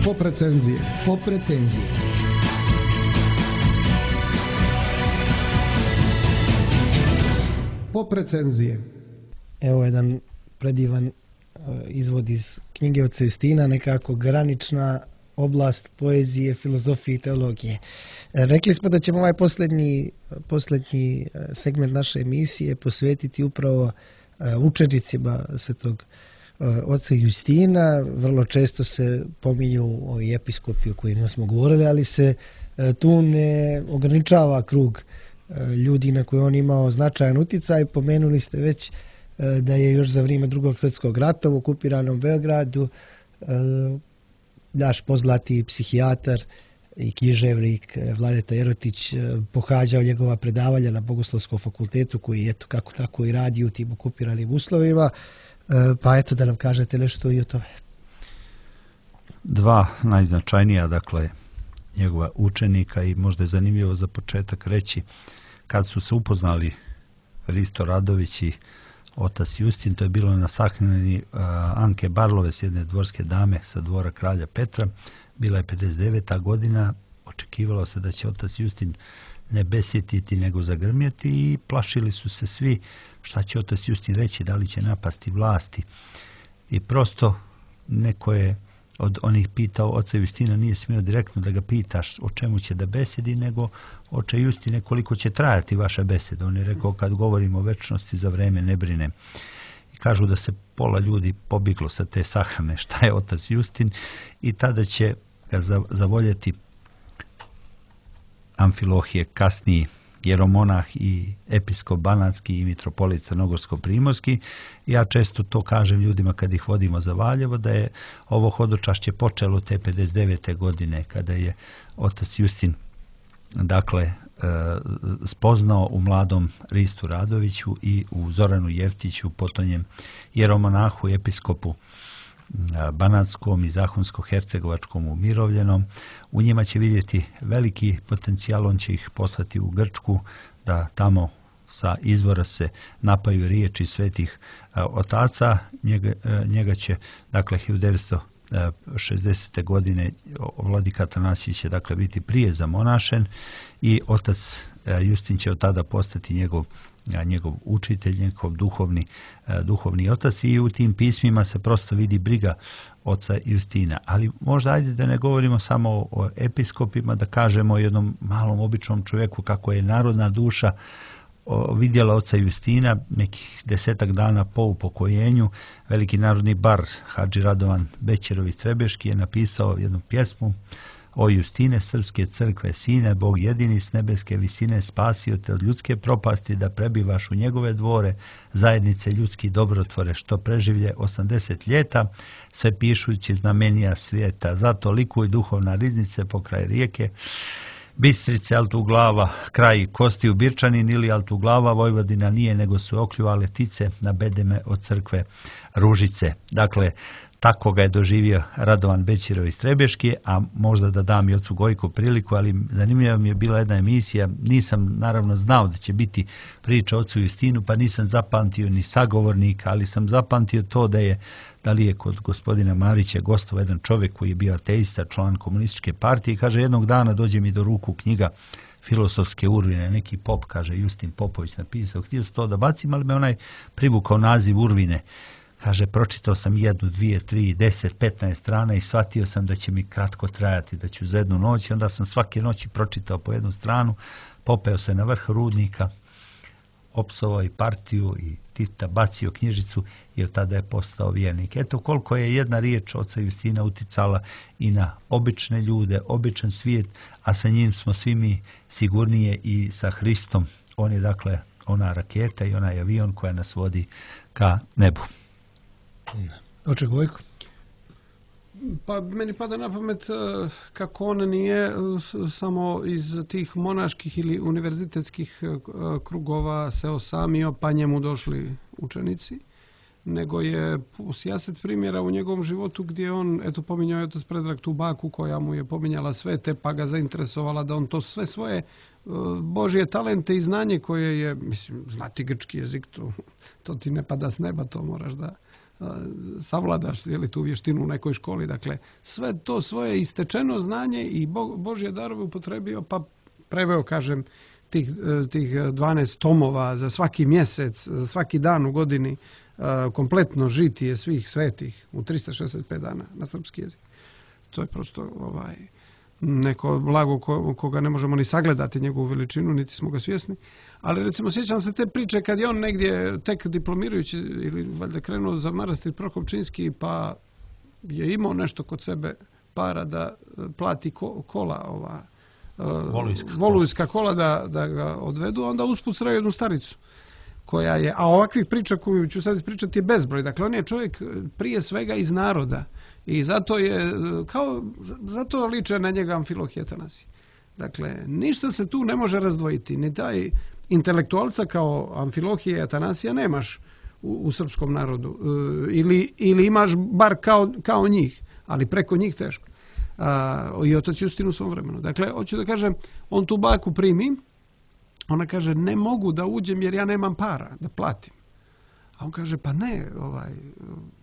Pop recenzije. Pop recenzije. Pop recenzije. Evo jedan predivan uh, izvod iz knjige oca Justina, nekako granična oblast poezije, filozofije i teologije. E, rekli smo da ćemo ovaj posljednji, posljednji segment naše emisije posvetiti upravo uh, učenicima svetog uh, oca Justina. Vrlo često se pominju ovi episkopi o kojima smo govorili, ali se uh, tu ne ograničava krug ljudi na koje on imao značajan utjecaj. Pomenuli ste već da je još za vrijeme Drugog svjetskog rata u okupiranom Beogradu naš poznati psihijatar i književnik Vladeta Jerotić pohađao njegova predavanja na Bogoslovskom fakultetu koji eto kako tako i radi u tim okupiranim uslovima. Pa eto da nam kažete nešto i o tome. Dva najznačajnija, dakle, njegova učenika i možda je zanimljivo za početak reći kad su se upoznali Risto Radović i otac Justin, to je bilo na sahrani uh, Anke Barlove, jedne dvorske dame sa dvora kralja Petra. Bila je pedeset deveta godina, očekivalo se da će otac Justin ne besjetiti nego zagrmjeti i plašili su se svi šta će otac Justin reći, da li će napasti vlasti. I prosto neko je od onih pitao oca Justina, nije smio direktno da ga pitaš o čemu će da besedi, nego oče Justine koliko će trajati vaša beseda. On je rekao kad govorimo o večnosti za vreme ne brine. I kažu da se pola ljudi pobjeglo sa te sahrane šta je otac Justin i tada će ga zavoljeti Amfilohije, kasniji jeromonah i episkop banatski i mitropolit crnogorsko-primorski. Ja često to kažem ljudima kad ih vodimo za Valjevo, da je ovo hodočašće počelo te pedeset devete godine kada je otac Justin dakle spoznao u mladom Ristu Radoviću i u Zoranu Jeftiću, potonjem jeromonahu i episkopu banatskom i zahonsko-hercegovačkom umirovljenom. U njima će vidjeti veliki potencijal, on će ih poslati u Grčku da tamo sa izvora se napaju riječi svetih otaca. Njega, njega će, dakle, hiljadu devetsto šezdesete godine vladika Atanasije će, dakle, biti prije zamonašen i otac Justin će od tada postati njegov, njegov učitelj, njegov duhovni, duhovni otac i u tim pismima se prosto vidi briga oca Justina. Ali možda ajde da ne govorimo samo o episkopima, da kažemo o jednom malom običnom čovjeku kako je narodna duša vidjela oca Justina nekih desetak dana po upokojenju. Veliki narodni bar Hadži Radovan Bećirov iz Trebeški je napisao jednu pjesmu: O Justine, srpske crkve sine, Bog jedini s nebeske visine spasio te od ljudske propasti da prebivaš u njegove dvore, zajednice ljudski dobrotvore, što preživlje osamdeset ljeta, sve pišući znamenija svijeta. Zato likuj duhovna riznice pokraj rijeke Bistrice, Altuglava, kraj Kosti u Birčanin ili Altuglava, Vojvodina nije, nego su okljuvale tice na bedeme od crkve Ružice. Dakle, tako ga je doživio Radovan Bećirov iz Trebeški, a možda da dam i ocu Gojku priliku, ali zanimljiva mi je bila jedna emisija, nisam naravno znao da će biti priča o ocu Justinu, pa nisam zapamtio ni sagovornika, ali sam zapamtio to da je, da li je kod gospodina Marića gostovao jedan čovjek koji je bio ateista, član komunističke partije, kaže jednog dana dođe mi do ruku knjiga Filosofske Urvine, neki pop, kaže Justin Popović napisao, htio sam to da bacim, ali me onaj privukao naziv Urvine. Kaže, pročitao sam jednu, dvije, tri, deset, petnaest strana i shvatio sam da će mi kratko trajati, da ću za jednu noć. Onda sam svake noći pročitao po jednu stranu, popeo se na vrh rudnika, opsovao i partiju i Tita, bacio knjižicu i od tada je postao vjernik. Eto koliko je jedna riječ oca Justina uticala i na obične ljude, običan svijet, a sa njim smo svi mi sigurnije i sa Hristom. On je dakle ona raketa i onaj avion koja nas vodi ka nebu. Oče Gojko? Pa meni pada na pamet kako on nije samo iz tih monaških ili univerzitetskih krugova se osamio pa njemu došli učenici, nego je sijaset primjera u njegovom životu gdje on, eto pominjao je otac Predrag tu baku koja mu je pominjala sve te pa ga zainteresovala da on to sve svoje Božje talente i znanje koje je, mislim, znati grčki jezik, to, to ti ne pada s neba, to moraš da savladaš je li tu vještinu u nekoj školi. Dakle, sve to svoje istečeno znanje i Božje darove upotrebio, pa preveo, kažem, tih, tih dvanaest tomova za svaki mjesec, za svaki dan u godini, kompletno žitije svih svetih u trista šezdeset pet dana na srpski jezik. To je prosto ovaj, neko blago ko, koga ne možemo ni sagledati njegovu veličinu, niti smo ga svjesni. Ali recimo sjećam se te priče kad je on negdje tek diplomirajući ili valjda krenuo za manastir Prokopčinski pa je imao nešto kod sebe para da plati ko, kola ova Volujska, volujska kola da, da ga odvedu, onda usput sreo jednu staricu koja je, a ovakvih priča koju ću sad ispričati je bezbroj. Dakle, on je čovjek prije svega iz naroda i zato je, kao, zato liče na njega Amfilohije Atanasije. Dakle, ništa se tu ne može razdvojiti, ni taj intelektualca kao Amfilohije Atanasija nemaš u, u srpskom narodu. E, ili, ili imaš bar kao, kao njih, ali preko njih teško. A, i otac Justin u svom vremenu. Dakle, hoću da kažem, on tu baku primi, ona kaže, ne mogu da uđem jer ja nemam para da platim. A on kaže, pa ne, ovaj,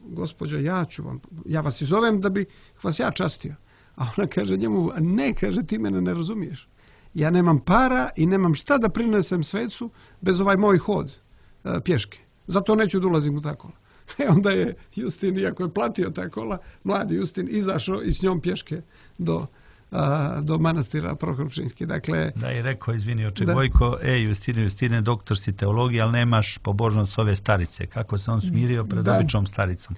gospođo, ja ću vam, ja vas i zovem da bi vas ja častio. A ona kaže njemu, ne, kaže, ti mene ne razumiješ. Ja nemam para i nemam šta da prinesem svecu bez ovaj moj hod e, pješke. Zato neću da ulazim u ta kola. E onda je Justin, iako je platio ta kola, mladi Justin izašao i s njom pješke do, a, do manastira Prokopčinski. Dakle, da, i rekao, izvini, oče Gojko, e, Justine, Justine, doktor si teologije, ali nemaš pobožnost ove starice. Kako se on smirio pred da. običnom staricom?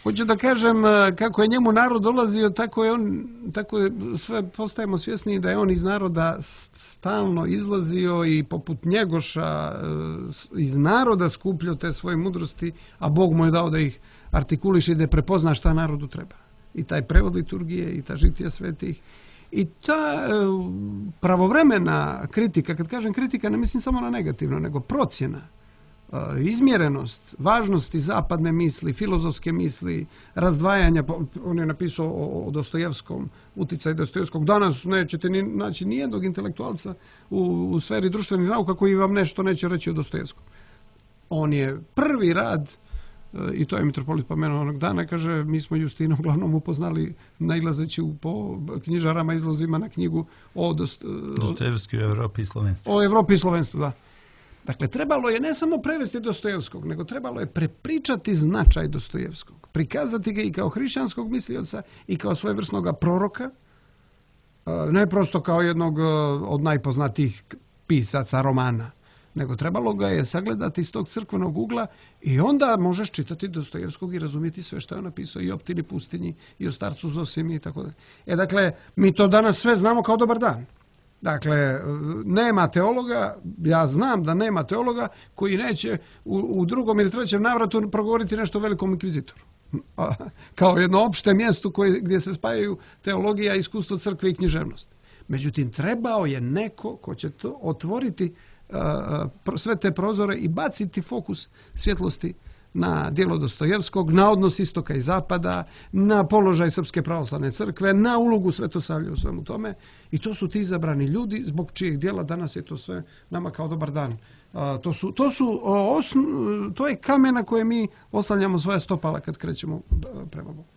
Hoću da kažem, kako je njemu narod dolazio, tako je on, tako je, sve postajemo svjesni da je on iz naroda stalno izlazio i poput Njegoša iz naroda skupljao te svoje mudrosti, a Bog mu je dao da ih artikuliše i da prepozna šta narodu treba. I taj prevod liturgije, i ta žitija svetih, i ta pravovremena kritika, kad kažem kritika, ne mislim samo na negativno, nego procjena, izmjerenost, važnosti zapadne misli, filozofske misli, razdvajanja. On je napisao o Dostojevskom, uticaj Dostojevskog. Danas nećete ni, naći nijednog intelektualca u, u sferi društvenih nauka koji vam nešto neće reći o Dostojevskom. On je prvi rad i to je mitropolit pomenuo onog dana, kaže, mi smo Justina uglavnom upoznali nailazeći po knjižarama, izlozima na knjigu o dost, Dostojevskoj, o Evropi i slovenstvu. O Evropi i slovenstvu, da. Dakle, trebalo je ne samo prevesti Dostojevskog, nego trebalo je prepričati značaj Dostojevskog, prikazati ga i kao hrišćanskog mislioca i kao svojevrsnog proroka, ne prosto kao jednog od najpoznatijih pisaca romana, nego trebalo ga je sagledati iz tog crkvenog ugla i onda možeš čitati Dostojevskog i razumjeti sve što je napisao i o Ptini pustinji i o starcu Zosimi i tako dalje. E, dakle, mi to danas sve znamo kao dobar dan. Dakle, nema teologa, ja znam da nema teologa koji neće u, u drugom ili trećem navratu progovoriti nešto o velikom inkvizitoru. Kao jedno opšte mjesto koje, gdje se spajaju teologija, iskustvo crkve i književnost. Međutim, trebao je neko ko će to otvoriti sve te prozore i baciti fokus svjetlosti na djelo Dostojevskog, na odnos istoka i zapada, na položaj Srpske pravoslavne crkve, na ulogu Svetosavlja u svemu tome. I to su ti izabrani ljudi zbog čijeg djela danas je to sve nama kao dobar dan. A, to, su, to, su osn, to je kamen na koje mi oslanjamo svoja stopala kad krećemo prema Bogu.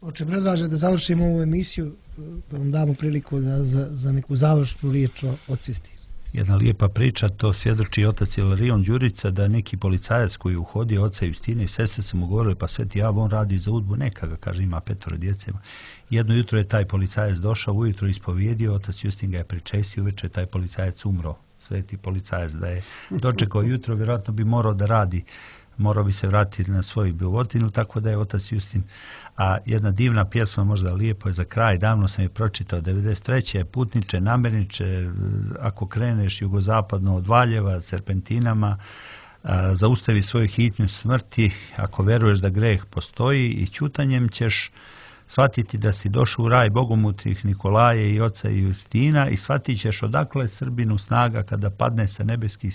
Oče, predlažem da završimo ovu emisiju, da vam damo priliku da, za, za neku završnu riječ o Otcu Justinu. Jedna lijepa priča, to svjedoči otac Ilarion Đurica, da neki policajac koji uhodio oca Justina i sestre su mu govorili, pa sveti Javo, on radi za udbu, neka ga, kaže, ima petoro djece. Jedno jutro je taj policajac došao, ujutro ispovjedio, otac Justin ga je pričestio, uveče je taj policajac umro. Sveti policajac da je dočekao jutro, vjerojatno bi morao da radi, morao bi se vratiti na svoju bivotinu, tako da je otac Justin. A jedna divna pjesma, možda lijepo je za kraj, davno sam je pročitao, devedeset treće putniče, namirniče, ako kreneš jugozapadno od Valjeva, serpentinama, a, zaustavi svoju hitnju smrti, ako veruješ da greh postoji i ćutanjem ćeš shvatiti da si došao u raj bogomutnih Nikolaje i oca Justina i shvatit ćeš odakle Srbinu snaga kada padne sa nebeskih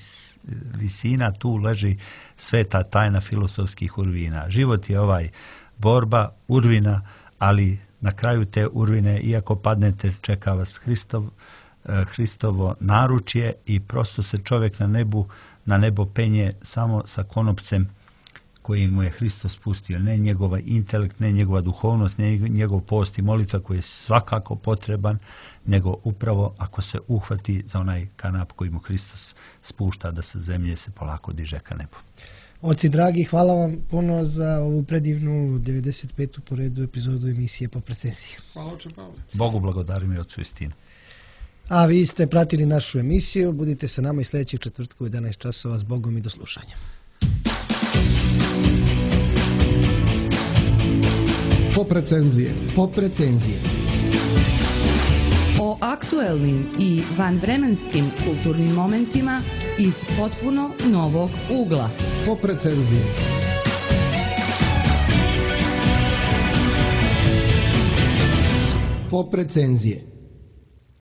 visina, tu leži sveta tajna filosofskih urvina. Život je ovaj borba, urvina, ali na kraju te urvine, iako padnete, čeka vas Hristov, Hristovo naručje i prosto se čovjek na nebu, na nebo penje samo sa konopcem koji mu je Hristos spustio, ne njegova intelekt, ne njegova duhovnost, ne njegov post i molitva koji je svakako potreban, nego upravo ako se uhvati za onaj kanap koji mu Hristos spušta da sa zemlje se polako diže ka nebu. Oci dragi, hvala vam puno za ovu predivnu devedeset petu po redu epizodu emisije Po precenziji. Hvala, oče Pavle. Bogu blagodarim i Otcu Justinu. A vi ste pratili našu emisiju, budite sa nama i sljedećeg četvrtka u jedanaest časova. S Bogom i do slušanja. Pop recenzije. Pop recenzije. O aktuelnim i vanvremenskim kulturnim momentima iz potpuno novog ugla. Pop recenzije. Pop recenzije.